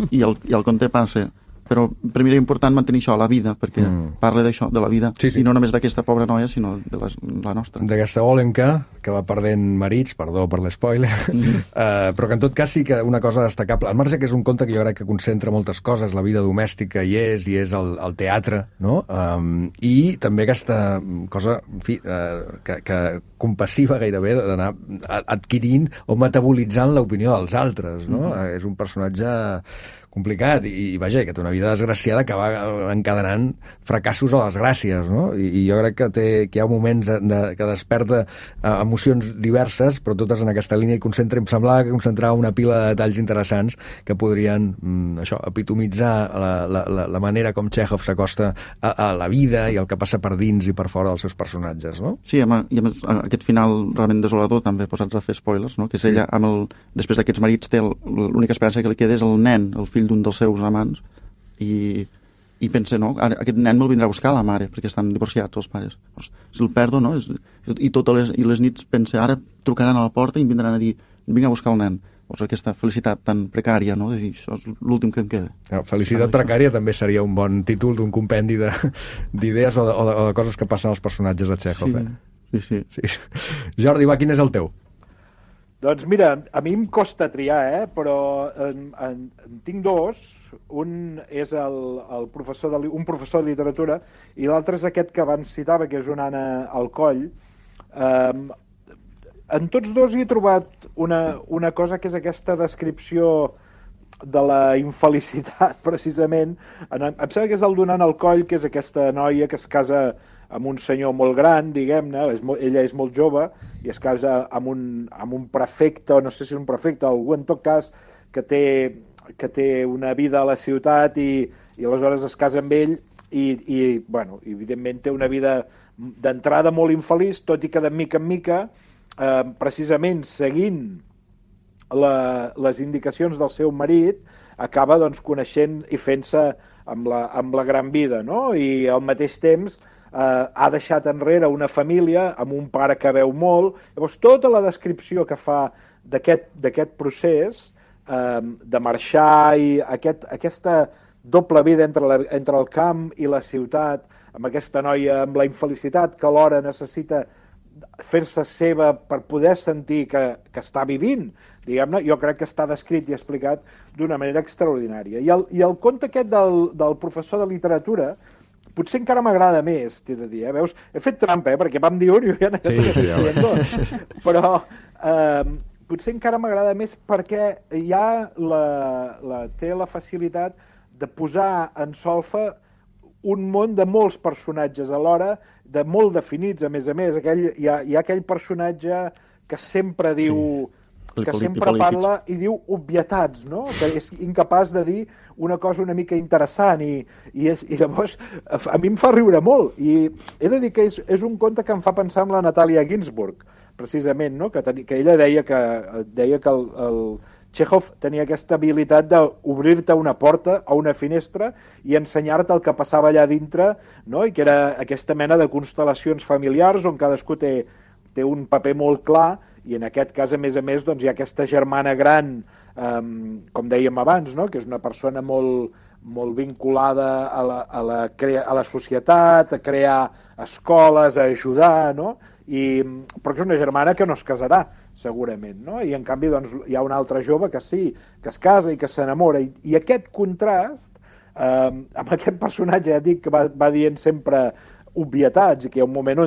I el conte passa però per mi era important mantenir això, la vida, perquè parla d'això, de la vida, Sí, sí. i no només d'aquesta pobra noia, sinó de la nostra. D'aquesta Olenka, que va perdent marits, perdó per l'espoiler, però que en tot cas sí que una cosa destacable, al marge que és un conte que jo crec que concentra moltes coses, la vida domèstica i és el teatre, no? I també aquesta cosa, en fi, que compassiva gairebé, d'anar adquirint o metabolitzant l'opinió dels altres, no? És un personatge complicat i vaja, que té una vida desgraciada que va encadenant fracassos a les gràcies, no? I jo crec que hi ha moments que desperta emocions diverses, però totes en aquesta línia i em semblava que concentrava una pila de detalls interessants que podrien epitomitzar la manera com Chekhov s'acosta a la vida i el que passa per dins i per fora dels seus personatges, no? Sí, i a més, aquest final realment desolador, també posats a fer spoilers, no? Que és ella, després d'aquests marits, té l'única esperança que li queda és el nen, el fill d'un dels seus amants, i pensa, no, ara, aquest nen me'l vindrà a buscar la mare, perquè estan divorciats els pares. Si el perdo, no? I les nits pensa, ara trucaran a la porta i em vindran a dir, vinc a buscar el nen. Aquesta felicitat tan precària, no? De dir, això és l'últim que em queda. Felicitat precària també seria un bon títol d'un compendi d'idees o de coses que passen als personatges de Chekhov. Sí. Jordi, va, quin és el teu? Doncs mira, a mi em costa triar, però en tinc dos. Un és un professor de literatura i l'altre és aquest que abans citava, que és una Anna Alcoll. En tots dos hi he trobat una cosa que és aquesta descripció de la infelicitat, precisament. Em sembla que és el d'una Anna Alcoll, que és aquesta noia que es casa amb un senyor molt gran, diguem-ne, ella és molt jove, i es casa amb un prefecte, o no sé si és un prefecte, algú en tot cas, que té una vida a la ciutat i aleshores es casa amb ell i bueno, evidentment té una vida d'entrada molt infeliç, tot i que de mica en mica, precisament seguint les indicacions del seu marit, acaba doncs, coneixent i fent-se amb la gran vida, no? I al mateix temps ha deixat enrere una família amb un pare que veu molt. Llavors, tota la descripció que fa d'aquest procés de marxar i aquesta doble vida entre el camp i la ciutat, amb aquesta noia amb la infelicitat que alhora necessita fer-se seva per poder sentir que està vivint, diguem-ne, jo crec que està descrit i explicat d'una manera extraordinària. I el conte aquest del professor de literatura potser encara m'agrada més, t'he de dir, veus? He fet trampa, perquè vam dir un i jo ja n'he dos. Però potser encara m'agrada més perquè ja té la facilitat de posar en solfa un món de molts personatges alhora, de molt definits, a més. Hi ha aquell personatge que sempre diu... que sempre parla i diu obvietats, no? Que és incapaç de dir una cosa una mica interessant i llavors a mi em fa riure molt i he de dir que és un conte que em fa pensar en la Natalia Ginzburg, precisament, no? Que ella deia que el Chekhov tenia aquesta habilitat d'obrir-te una porta o una finestra i ensenyar-te el que passava allà dintre, no? I que era aquesta mena de constel·lacions familiars on cadascú té un paper molt clar. I en aquest cas, a més, doncs, hi ha aquesta germana gran, com dèiem abans, no? Que és una persona molt vinculada a la societat, a crear escoles, a ajudar, no? Però que és una germana que no es casarà, segurament, no? I en canvi doncs, hi ha una altra jove que sí, que es casa i que s'enamora. I aquest contrast, amb aquest personatge, ja dic, que va dient sempre obvietats, i que hi ha un moment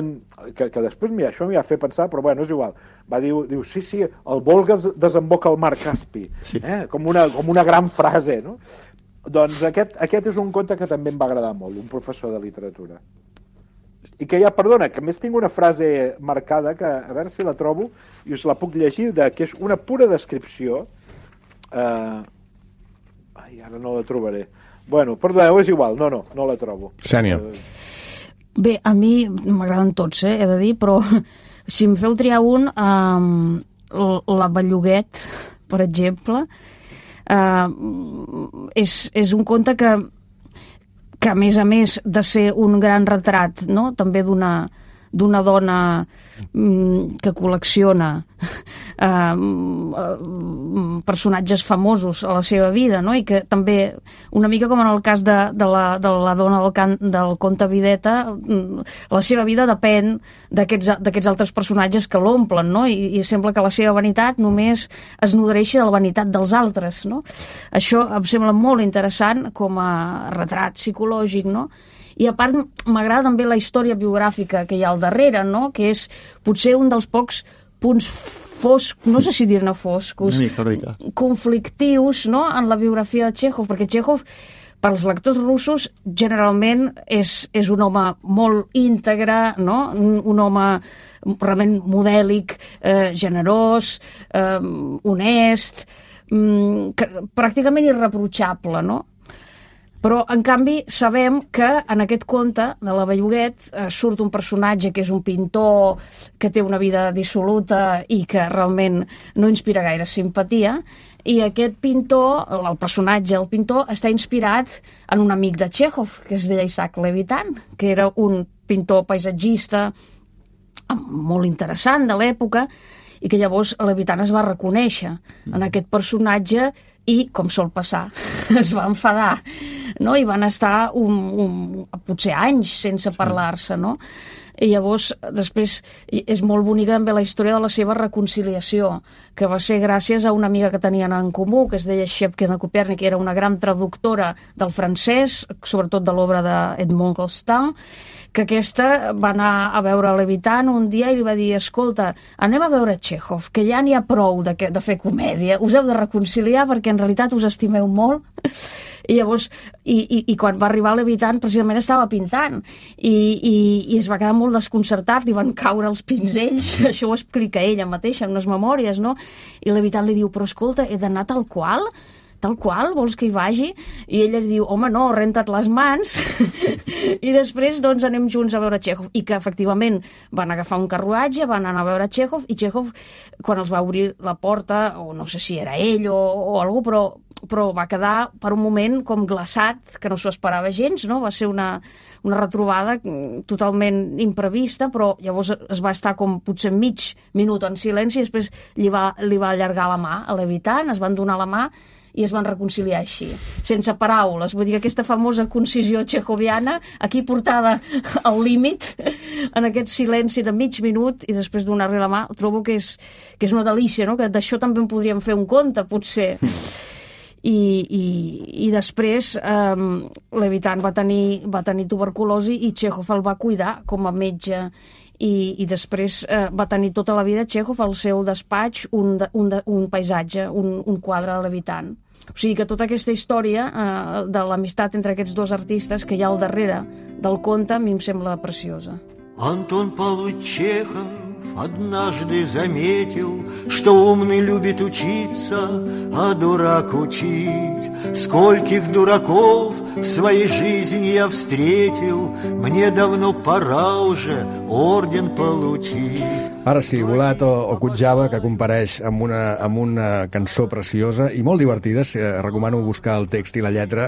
que després això m'hi va fer pensar, però bueno, és igual. Diu, sí, el Volga desemboca al mar Caspi, com una gran frase, no? Doncs aquest és un conte que també em va agradar molt, un professor de literatura. I que perdona, que més tinc una frase marcada, que a veure si la trobo, i us la puc llegir, que és una pura descripció. Ara no la trobaré. Bueno, perdoneu, és igual, no la trobo. Xènia. Bé, a mi m'agraden tots, he de dir, però si em feu triar un, la Belluguet, per exemple, és un conte que a més de ser un gran retrat, no? També d'una d'una dona que col·lecciona personatges famosos a la seva vida, no? I que també, una mica com en el cas de la dona del conte Videta, la seva vida depèn d'aquests altres personatges que l'omplen, no? I sembla que la seva vanitat només es nodreixi de la vanitat dels altres, no? Això em sembla molt interessant com a retrat psicològic, no? I a part m'agrada també la història biogràfica que hi ha al darrere, no? Que és potser un dels pocs punts foscs, no sé si dir-ne foscos, una mica. conflictius, no? En la biografia de Txékhov, perquè Txékhov, per als lectors russos, generalment és un home molt íntegre, no? Un home realment modèlic, generós, honest, pràcticament irreprotxable, no? Però, en canvi, sabem que en aquest conte de la Belluguet surt un personatge que és un pintor que té una vida dissoluta i que realment no inspira gaire simpatia, i aquest pintor, el personatge, el pintor, està inspirat en un amic de Txékhov, que es deia Isaac Levitan, que era un pintor paisatgista molt interessant de l'època, i que llavors Levitan es va reconèixer en aquest personatge i, com sol passar, es va enfadar, no? I van estar potser anys sense parlar-se, no? I llavors, després, és molt bonica també la història de la seva reconciliació, que va ser gràcies a una amiga que tenien en comú, que es deia Shchepkina Kopèrnik, que era una gran traductora del francès, sobretot de l'obra d'Edmond Rostand, que aquesta va anar a veure Levitan un dia i li va dir: escolta, anem a veure Txékhov, que ja n'hi ha prou de fer comèdia, us heu de reconciliar perquè en realitat us estimeu molt. I llavors, i quan va arribar Levitan, precisament estava pintant i es va quedar molt desconcertat, li van caure els pinzells, això ho explica ella mateixa en les memòries, no? I Levitan li diu: però escolta, he d'anar tal qual, vols que hi vagi? I ella li diu: home, no, renta't les mans. I després, doncs, anem junts a veure Txékhov. I que, efectivament, van agafar un carruatge, van anar a veure Txékhov, i Txékhov, quan els va obrir la porta, o no sé si era ell o algú, però va quedar per un moment com glaçat, que no s'ho esperava gens, no? Va ser una retrobada totalment imprevista, però llavors es va estar com potser mig minut en silenci, i després li va allargar la mà a Levitan, es van donar la mà i es van reconciliar així, sense paraules. Vull dir que aquesta famosa concisió txecoviana, aquí portada al límit, en aquest silenci de mig minut i després donar-li la mà, trobo que és una delícia, no? Que d'això també en podríem fer un conte, potser. I després Levitan va tenir tuberculosi i Txékhov el va cuidar com a metge, i després va tenir tota la vida Txékhov al seu despatx un paisatge, un quadre de Levitan. O sigui que tota aquesta història de l'amistat entre aquests dos artistes que hi ha al darrere del conte a mi em sembla preciosa. Антон Павлович Чехов однажды заметил, что умный любит учиться, а дурак учить. Скольких дураков в своей жизни я встретил, мне давно пора уже орден получить. Ara sí, Volato o Kutjava, que compareix amb una cançó preciosa i molt divertida. Recomano buscar el text i la lletra,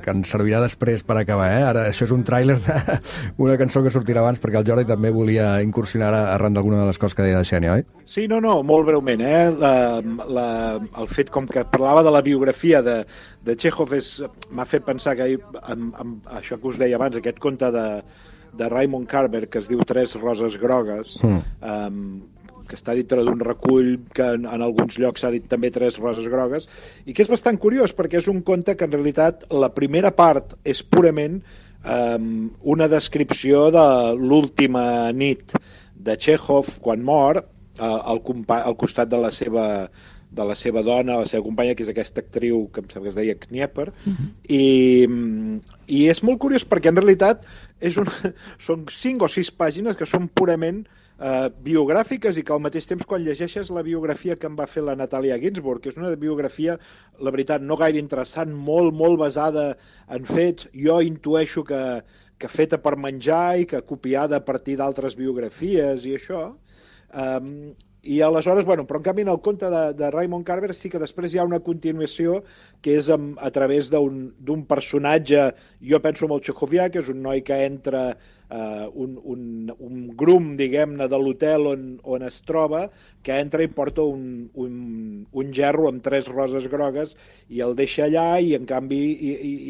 que ens servirà després per acabar. Ara, això és un tràiler d'una cançó que sortirà abans, perquè el Jordi també volia incursionar arran d'alguna de les coses que deia la Xènia, oi? Sí, no, molt breument. El fet com que parlava de la biografia de Txékhov m'ha fet pensar que amb això que us deia abans, aquest conte de Raymond Carver, que es diu Tres roses grogues, que està dintre d'un recull que en alguns llocs s'ha dit també Tres roses grogues, i que és bastant curiós, perquè és un conte que en realitat la primera part és purament una descripció de l'última nit de Txékhov quan mor al costat de la seva dona, la seva companya, que és aquesta actriu que em sembla que es deia Knieper, i és molt curiós perquè en realitat són 5 o 6 pàgines que són purament biogràfiques i que al mateix temps quan llegeixes la biografia que em va fer la Natalia Ginsburg, que és una biografia, la veritat, no gaire interessant, molt basada en fets, jo intueixo que feta per menjar i que copiada a partir d'altres biografies i això, I aleshores, bueno, però en canvi en el conte de Raymond Carver sí que després hi ha una continuació que és a través d'un personatge, jo penso en el Txehovià, que és un noi que entra un grum, diguem-ne, de l'hotel on es troba, que entra i porta un gerro amb 3 roses grogues i el deixa allà i en canvi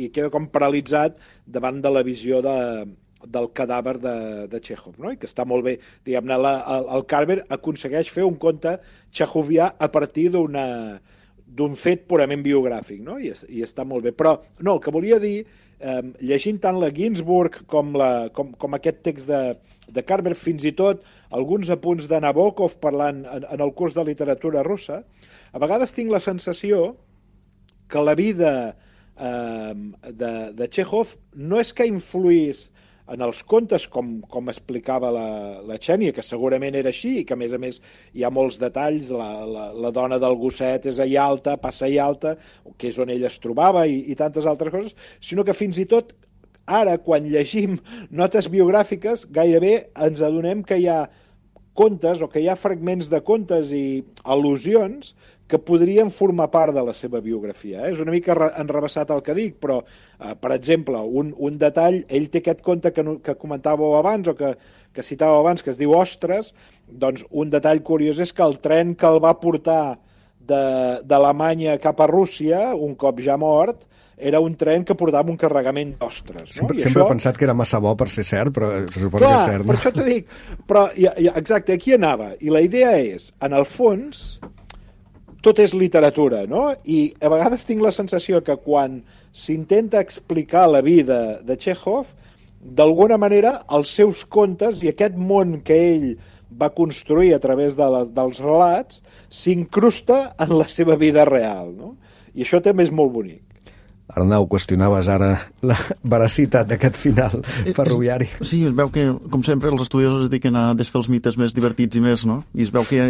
i queda com paralitzat davant de la visió del cadàver de Txékhov, no? I que està molt bé. Diguem-ne, el Carver aconsegueix fer un conte txehovià a partir d'un fet purament biogràfic, no? I està molt bé. Però, no, el que volia dir, llegint tant la Ginsburg com aquest text de Carver, fins i tot alguns apunts de Nabokov parlant en el curs de literatura russa, a vegades tinc la sensació que la vida de Txékhov no és que influís en els contes, com explicava la Xènia, que segurament era així, i que a més hi ha molts detalls, la dona del gosset és a Ialta, passa a Ialta, que és on ell es trobava, i tantes altres coses, sinó que fins i tot ara, quan llegim notes biogràfiques, gairebé ens adonem que hi ha contes o que hi ha fragments de contes i al·lusions que podrien formar part de la seva biografia. És una mica enrevessat el que dic, però, per exemple, un detall, ell té aquest conte que comentàveu abans o que citàveu abans, que es diu Ostres, doncs un detall curiós és que el tren que el va portar d'Alemanya cap a Rússia, un cop ja mort, era un tren que portava un carregament d'ostres. No? Sempre he pensat que era massa bo per ser cert, però se suposa que és cert. Per això t'ho dic. Però, exacte, aquí anava. I la idea és, en el fons, tot és literatura, no? I a vegades tinc la sensació que quan s'intenta explicar la vida de Txékhov, d'alguna manera els seus contes i aquest món que ell va construir a través dels relats s'incrusta en la seva vida real, no? I això també és molt bonic. Arnau, qüestionaves ara la veracitat d'aquest final ferroviari. Sí, es veu que, com sempre, els estudiosos es dediquen a desfer els mites més divertits i més, no? I es veu que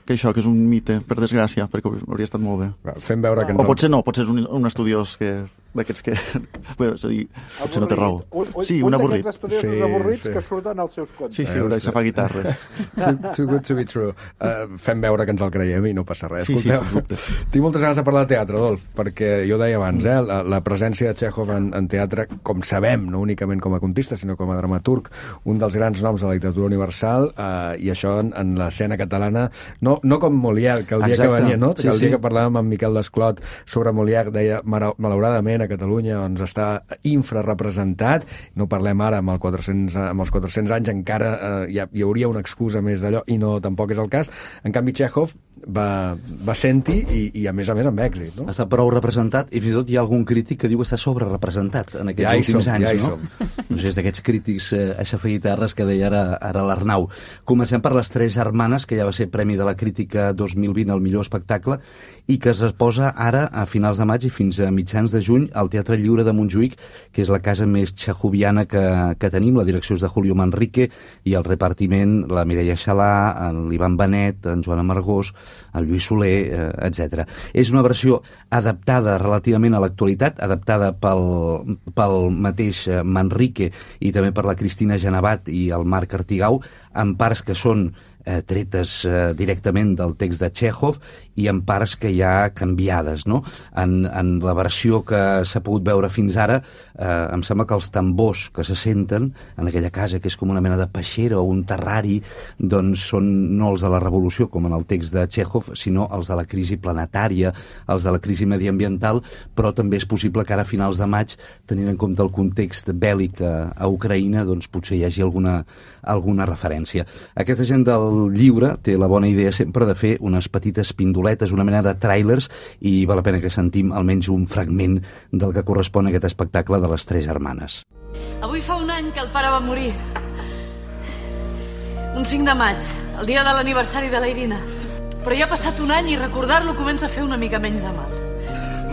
això, que és un mite, per desgràcia, perquè hauria estat molt bé. Fem veure que o potser no, potser és un estudiós d'aquests que... Bé, és a dir, potser no té raó. Sí, un avorrit. Un d'aquests estudiosos avorrits que surten als seus contes. Sí, això fa guitarres. Too good to be true. Fem veure que ens el creiem i no passa res. Sí, tinc moltes ganes de parlar de teatre, Adolf, perquè jo deia abans, la presència de Txékhov en teatre, com sabem, no únicament com a contista, sinó com a dramaturg, un dels grans noms de la literatura universal, i això en l'escena catalana, no com Molière, que el dia que venia, no? Que el dia que parlàvem amb Miquel Desclot sobre Molière, deia, malauradament, a Catalunya doncs està infrarrepresentat, no parlem ara amb els 400 anys, encara hi hauria una excusa més d'allò, i no, tampoc és el cas. En canvi, Txékhov va sentir i a més amb èxit, no? Està prou representat, i fins i tot hi ha algun crític que diu que està sobrerepresentat en aquests últims anys, no? Doncs és d'aquests crítics aixafeïtarres que deia ara l'Arnau. Comencem per Les Tres Germanes, que ja va ser Premi de la Crítica 2020 al millor espectacle, i que es reposa ara a finals de maig i fins a mitjans de juny al Teatre Lliure de Montjuïc, que és la casa més txehoviana que tenim. La direcció és de Julio Manrique i el repartiment la Mireia Xalà, l'Ivan Benet, en Joan Amargós, el Lluís Soler, etc. És una versió adaptada relativament a l'actualitat, adaptada pel mateix Manrique i també per la Cristina Genevat i el Marc Artigau, en parts que són tretes directament del text de Txékhov i en parts que hi ha canviades, no? En la versió que s'ha pogut veure fins ara, em sembla que els tambors que se senten en aquella casa, que és com una mena de peixera o un terrari, doncs són no els de la revolució, com en el text de Txékhov, sinó els de la crisi planetària, els de la crisi mediambiental, però també és possible que ara a finals de maig, tenint en compte el context bèl·lic a Ucraïna, doncs potser hi hagi alguna referència. Aquesta gent del llibre té la bona idea sempre de fer unes petites pindoletes, una mena de tràilers, i val la pena que sentim almenys un fragment del que correspon a aquest espectacle de Les Tres Germanes. Avui fa un any que el pare va morir. Un 5 de maig, el dia de l'aniversari de la Irina. Però ja ha passat un any i recordar-lo comença a fer una mica menys de mal.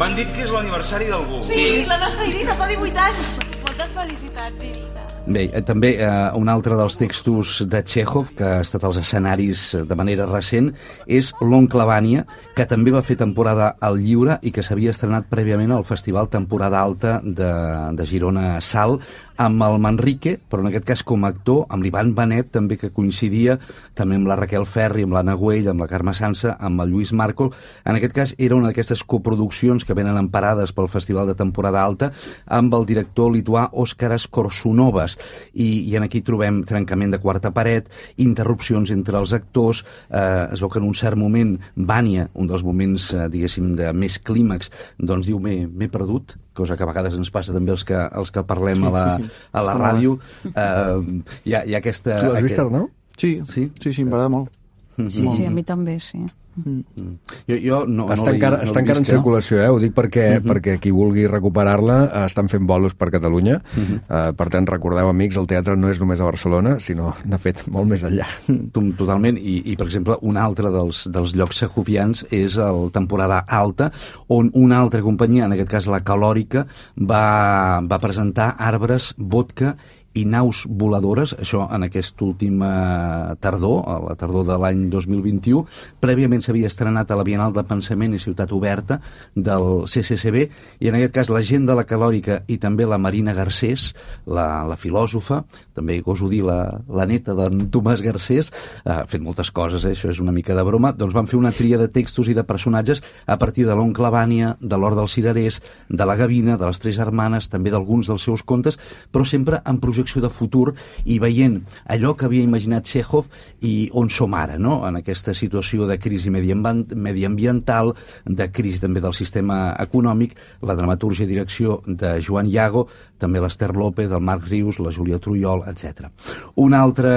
M'han dit que és l'aniversari d'algú. Sí, la nostra Irina fa 18 anys. Moltes felicitats, Irina. Bé, també un altre dels textos de Txékhov, que ha estat als escenaris de manera recent, és L'oncle Vanya, que també va fer temporada al Lliure i que s'havia estrenat prèviament al Festival Temporada Alta de Girona Sal, amb el Manrique, però en aquest cas com a actor, amb l'Ivan Benet, també, que coincidia també amb la Raquel Ferri, amb l'Anna Güell, amb la Carme Sansa, amb el Lluís Márcol. En aquest cas era una d'aquestes coproduccions que venen emparades pel Festival de Temporada Alta amb el director lituà Oskaras Koršunovas. I en aquí trobem trencament de quarta paret, interrupcions entre els actors, es veu que en un cert moment Vanya, un dels moments, diguéssim, de més clímax, doncs diu, m'he perdut, cosa que a vegades ens passa també els que parlem a la ràdio. Hi ha aquesta... Tu l'has vist, Arnau? Sí, m'agrada molt. Sí, a mi també, sí. Jo no està encara en circulació, ho dic perquè qui vulgui recuperar-la estan fent bolos per Catalunya. Per tant, recordeu, amics, el teatre no és només a Barcelona, sinó, de fet, molt més enllà. Totalment, i per exemple, un altre dels llocs txekhovians és el Temporada Alta, on una altra companyia, en aquest cas la Calòrica, va presentar Arbres, vodka i naus voladores, això en aquesta última tardor, a la tardor de l'any 2021. Prèviament s'havia estrenat a la Bienal de Pensament i Ciutat Oberta del CCCB, i en aquest cas la gent de la Calòrica i també la Marina Garcés, la filòsofa, també goso dir la neta d'en Tomàs Garcés, ha fet moltes coses, això és una mica de broma, doncs van fer una tria de textos i de personatges a partir de l'oncle Vanya, de l'Hort dels Cirerers, de la Gavina, de les Tres Germanes, també d'alguns dels seus contes, però sempre en projecció de futur i veient allò que havia imaginat Txékhov i on som ara, no? En aquesta situació de crisi mediambiental, de crisi també del sistema econòmic, la dramatúrgia i direcció de Joan Iago, també l'Ester López, el Marc Rius, la Júlia Trujol, etc. Un altre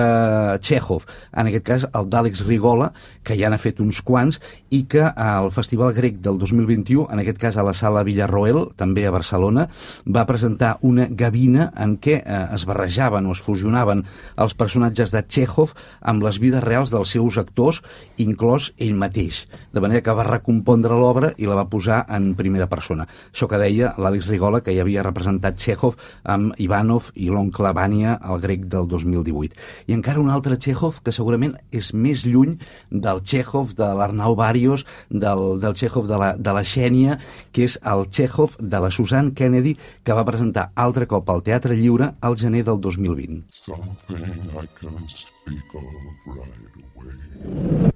Txékhov, en aquest cas el d'Àlex Rigola, que ja n'ha fet uns quants i que al Festival Grec del 2021, en aquest cas a la Sala Villarroel, també a Barcelona, va presentar una gavina en què es barrejaven o es fusionaven els personatges de Txékhov amb les vides reals dels seus actors, inclòs ell mateix. De manera que va recompondre l'obra i la va posar en primera persona. Això que deia l'Àlex Rigola, que ja havia representat Txékhov amb Ivanov i l'oncle Vanya al Grec del 2018. I encara un altre Txékhov que segurament és més lluny del Txékhov de l'Arnau Barrios, del Txékhov de la Xènia, que és el Txékhov de la Suzanne Kennedy, que va presentar altre cop al Teatre Lliure al gener del 2020. Something I can speak of right away.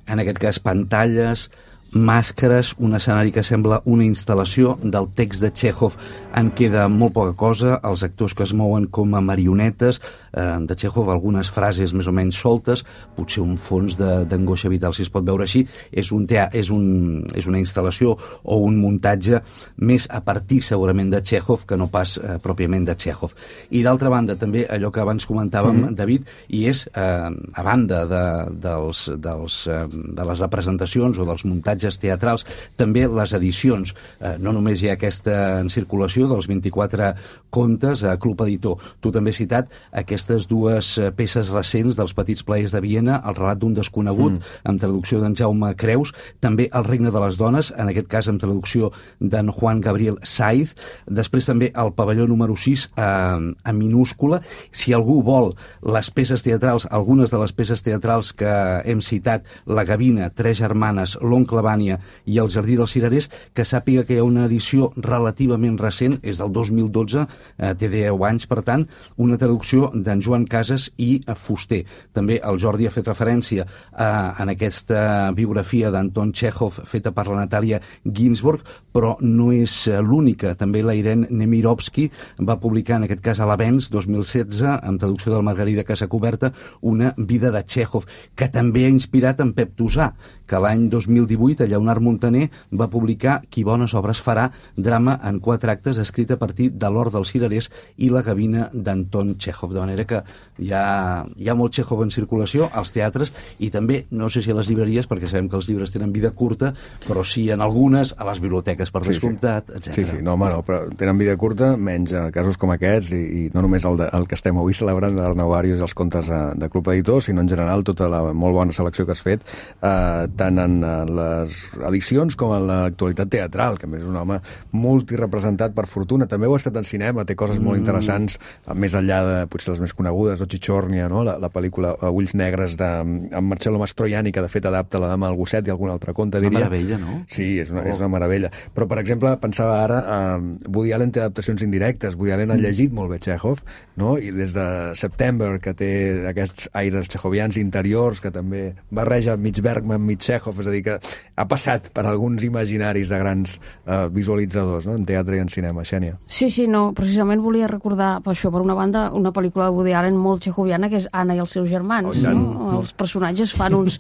En aquest cas, pantalles, màscares, un escenari que sembla una instal·lació del text de Txékhov. En queda molt poca cosa, els actors que es mouen com a marionetes, de Txékhov algunes frases més o menys soltes, potser un fons d'angoixa vital, si es pot veure així. És una instal·lació o un muntatge més a partir segurament de Txékhov que no pas pròpiament de Txékhov. I d'altra banda, també allò que abans comentàvem, David, i és, a banda de les representacions o dels muntatges teatrals, també les edicions. No només hi ha aquesta en circulació dels 24 contes a Club Editor. Tu també has citat aquestes dues peces recents dels Petits Plaers de Viena, El relat d'un desconegut, amb traducció d'en Jaume Creus, també El regne de les dones, en aquest cas amb traducció d'en Juan Gabriel Saiz, després també El pavelló número 6 en minúscula. Si algú vol les peces teatrals, algunes de les peces teatrals que hem citat, La Gavina, Tres germanes, L'oncle Vanya i El jardí dels cirerers, que sàpiga que hi ha una edició relativament recent, és del 2012, té 10 anys, per tant, una traducció d'en Joan Casas i Fuster. També el Jordi ha fet referència en aquesta biografia d'Anton Txékhov feta per la Natàlia Ginsburg, però no és l'única. També la Irene Nemirovsky va publicar, en aquest cas a l'Avenç 2016, amb traducció del Margarida Casacoberta, una vida de Txékhov, que també ha inspirat en Pep Tosà, que l'any 2018 a Lleonard Montaner va publicar Qui bones obres farà, drama en 4 actes escrit a partir de l'Hort dels Cirerers i la Gavina d'Anton Txékhov. De manera que hi ha molt Txékhov en circulació als teatres i també, no sé si a les llibreries, perquè sabem que els llibres tenen vida curta, però sí en algunes, a les biblioteques per descomptat, etc. Sí, no, home, no, però tenen vida curta, menys casos com aquests, i no només el que estem avui celebrant, l'Arnau Barrios i els contes de Club Editor, sinó en general tota la molt bona selecció que has fet, tant en les edicions com en l'actualitat teatral, que a més és un home multirepresentat per fortuna. També ho ha estat en cinema, té coses molt interessants, més enllà de potser les més conegudes, o Chichornia, no? la pel·lícula Ulls negres amb Marcello Mastroianni, que de fet adapta La dama del gosset i algun altre conte, diria. Una meravella, no? Sí, és una meravella. Però, per exemple, pensava ara, Woody Allen té adaptacions indirectes. Woody Allen ha llegit molt bé Chekhov, no? I des de September, que té aquests aires txejovians interiors, que també barreja mig Bergman, mig Chekhov, és a dir, que ha passat per alguns imaginaris de grans visualitzadors, no? En teatre i en cinema. Xènia. Sí, no, precisament volia recordar, per això, per una banda, una pel·lícula de Woody Allen molt txejoviana, que és Anna i els seus germans. No? Els personatges fan uns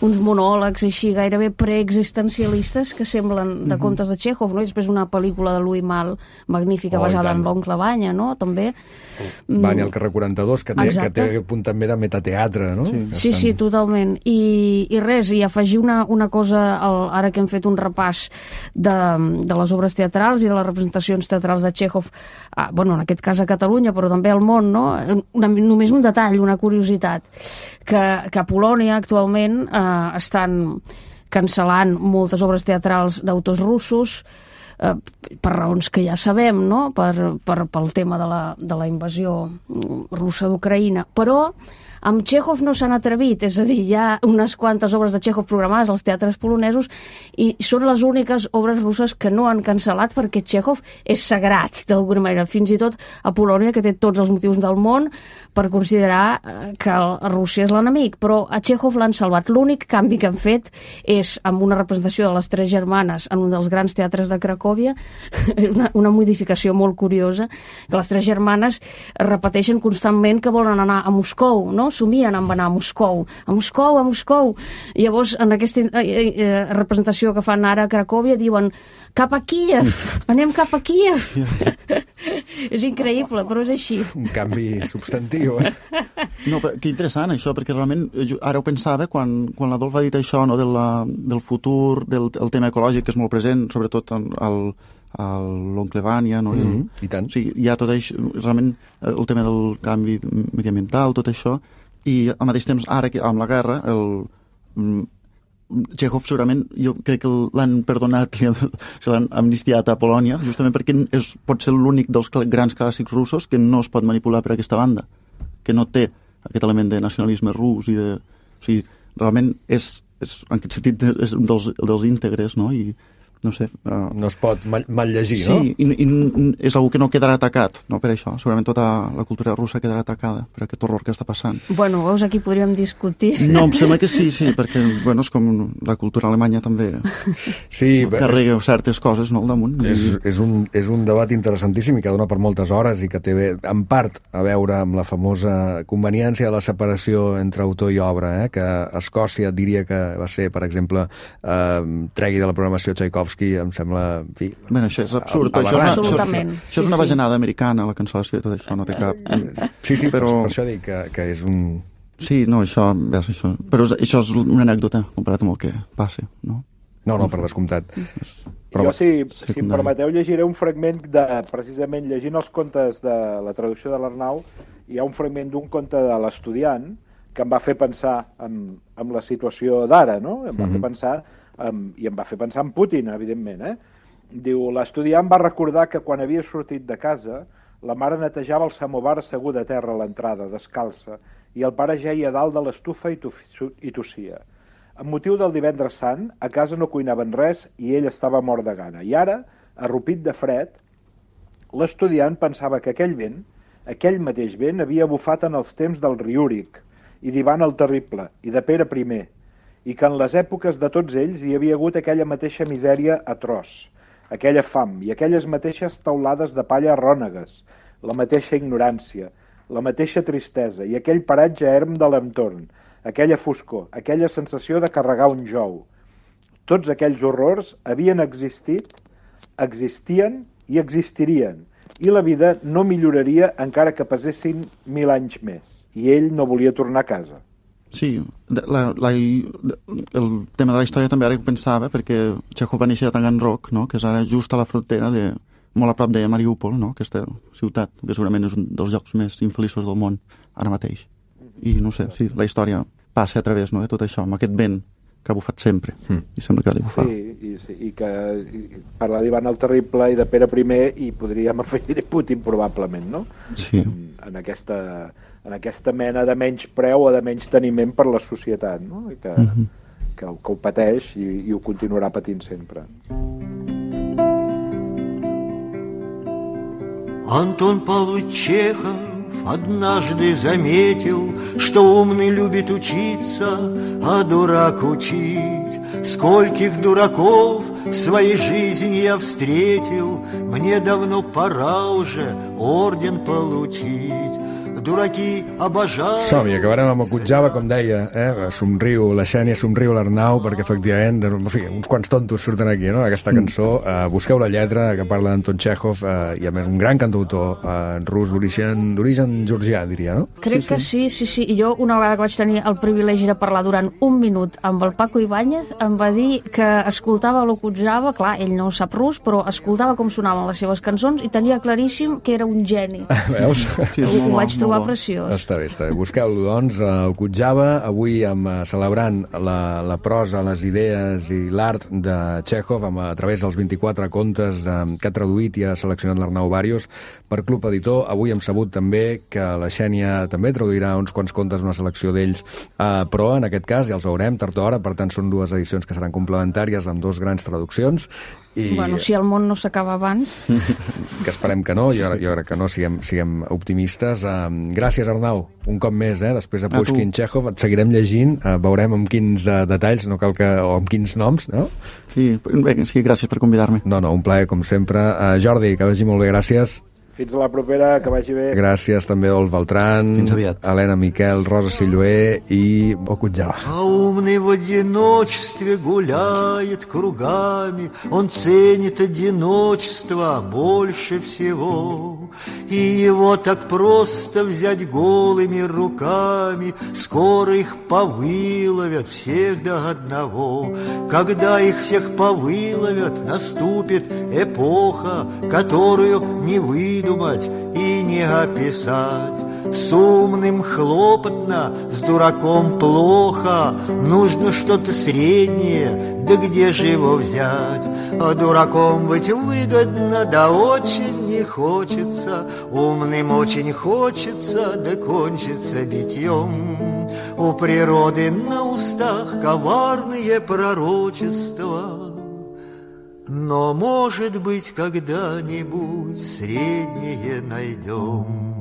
monòlegs així gairebé preexistencialistes que semblen de contes de Chekhov, no? I després una pel·lícula de Louis Malle magnífica basada en l'oncle Banya, no? També. Banya al carrer 42, que té punt també de metateatre, no? Sí, totalment. I res, i afegir una cosa, ara que hem fet un repàs de les obres teatrals i de les representacions teatrals de Chekhov, en aquest cas a Catalunya, però també al món, no? Només un detall, una curiositat, que a Polònia actualment estan cancel·lant moltes obres teatrals d'autors russos, per raons que ja sabem, no? Pel tema de la invasió russa d'Ucraïna. Però amb Chekhov no s'han atrevit, és a dir, hi ha unes quantes obres de Chekhov programades als teatres polonesos i són les úniques obres russes que no han cancel·lat perquè Chekhov és sagrat, d'alguna manera, fins i tot a Polònia, que té tots els motius del món per considerar que Rússia és l'enemic, però a Chekhov l'han salvat. L'únic canvi que han fet és amb una representació de les tres germanes en un dels grans teatres de Cracòvia, una modificació molt curiosa, que les tres germanes repeteixen constantment que volen anar a Moscou, no? Somien amb anar a Moscou. A Moscou. I llavors, en aquesta representació que fan ara a Cracòvia, diuen cap a Kíev, anem cap a Kíev. És increïble, però és així. Un canvi substantiu, No, però que interessant això, perquè realment ara ho pensava quan l'Adolf ha dit això, no, del futur, del tema ecològic, que és molt present, sobretot a l'oncle Vanya, no? I tant. O sigui, hi ha tot això, realment el tema del canvi mediambiental, tot això, i al mateix temps, ara que amb la guerra, Chekhov segurament, jo crec que l'han perdonat, se l'han amnistiat a Polònia, justament perquè pot ser l'únic dels grans clàssics russos que no es pot manipular per aquesta banda, que no té aquest element de nacionalisme rus i de... O sigui, realment és en aquest sentit, és un dels íntegres, no? I no sé... No es pot mal llegir, no? Sí, i és algú que no quedarà atacat, no, per això. Segurament tota la cultura russa quedarà atacada per aquest horror que està passant. Bueno, veus, aquí podríem discutir. No, em sembla que sí, perquè, bueno, és com la cultura alemanya també carrega certes coses, no, al damunt. És un debat interessantíssim i que dona per moltes hores i que té, en part, a veure amb la famosa conveniència de la separació entre autor i obra, que Escòcia diria que va ser, per exemple, tregui de la programació Tchaikovsky, em sembla... En fi, bueno, això és absurd. Això és una bajanada americana, la cancel·lació i tot això, no té cap... Sí, però... Per això dic que és un... Sí, no, això... Però això és una anècdota comparat amb el que passi, no? No, per descomptat. Jo, si em permeteu, llegiré un fragment de, precisament, llegint els contes de la traducció de l'Arnau, hi ha un fragment d'un conte de l'Estudiant que em va fer pensar en la situació d'ara, no? Em va fer pensar... i em va fer pensar en Putin, evidentment. Diu, l'estudiant va recordar que quan havia sortit de casa, la mare netejava el samovar asseguda a terra a l'entrada, descalça, i el pare jeia dalt de l'estufa i tossia. Amb motiu del divendres sant, a casa no cuinaven res i ell estava mort de gana. I ara, arrupit de fred, l'estudiant pensava que aquell mateix vent, havia bufat en els temps del Riúric, i d'Ivan el Terrible, i de Pere I, i que en les èpoques de tots ells hi havia hagut aquella mateixa misèria atroç, aquella fam i aquelles mateixes taulades de palla rònegues, la mateixa ignorància, la mateixa tristesa i aquell paratge erm de l'entorn, aquella foscor, aquella sensació de carregar un jou. Tots aquells horrors havien existit, existien i existirien, i la vida no milloraria encara que pesessin 1000 anys més, i ell no volia tornar a casa. Sí, el tema de la història també ara ho pensava, perquè Chekhov va néixer a Taganrog, no? Que és ara just a la frontera, molt a prop de Mariúpol, no? Aquesta ciutat, que segurament és un dels llocs més infeliços del món ara mateix. I no sé, sí, la història passa a través, no, de tot això, amb aquest vent que ha bufat sempre, i sembla que ha de bufar. Sí, i que parla d'Ivan el Terrible i de Pere I i podríem afegir Putin probablement, no? Sí. En aquesta mena de menyspreu o de menysteniment per la societat, no? I que ho pateix i ho continuarà patint sempre. Антон Павлович Чехов однажды заметил, что умный любит учиться, а дурак учить. Скольких дураков в своей жизни я встретил, мне давно пора уже орден получить. Durakí abajat... Som-hi, acabarem amb Okudjava, com deia, somriu la Xènia, somriu l'Arnau, perquè efectivament, en fi, uns quants tontos surten aquí, no?, aquesta cançó. Busqueu la lletra, que parla d'Anton Txékhov, i a més un gran cantautor rus d'origen georgià, diria, no? Crec que sí. I jo, una vegada que vaig tenir el privilegi de parlar durant un minut amb el Paco Ibáñez, em va dir que escoltava l'Okudjava, clar, ell no sap rus, però escoltava com sonaven les seves cançons i tenia claríssim que era un geni. Veus? Sí, ho vaig trobar preciós. Està bé. Busqueu-lo, doncs, Okudjava, avui celebrant la prosa, les idees i l'art de Txékhov a través dels 24 contes que ha traduït i ha seleccionat l'Arnau Bàrios per Club Editor. Avui hem sabut també que la Xènia també traduirà uns quants contes, una selecció d'ells, però en aquest cas ja els veurem tard o d'hora, per tant són dues edicions que seran complementàries amb dos grans traduccions. Bueno, si el món no s'acaba abans... Que esperem que no, jo crec que no, siguem optimistes. Gràcies, Arnau, un cop més, després de Pushkin, Txékhov, et seguirem llegint, veurem amb quins detalls, o amb quins noms, no? Sí, gràcies per convidar-me. No, un plaer, com sempre. Jordi, que vagi molt bé, gràcies. Fins a la propera, que vagi bé. Gràcies també a Olf Beltran, fins aviat. Helena Miquel, Rosa Sillué и Окудjava. А умный в одиночестве гуляет кругами, он ценит одиночество больше всего. И его так просто взять голыми руками, скоро их повыловят всех до одного. Когда их всех повыловят, наступит эпоха, которую не выдумать и не описать. С умным хлопотно, с дураком плохо, нужно что-то среднее, да где же его взять? А дураком быть выгодно, да очень не хочется, умным очень хочется, да кончится битьем. У природы на устах коварные пророчества, но, может быть, когда-нибудь среднее найдем.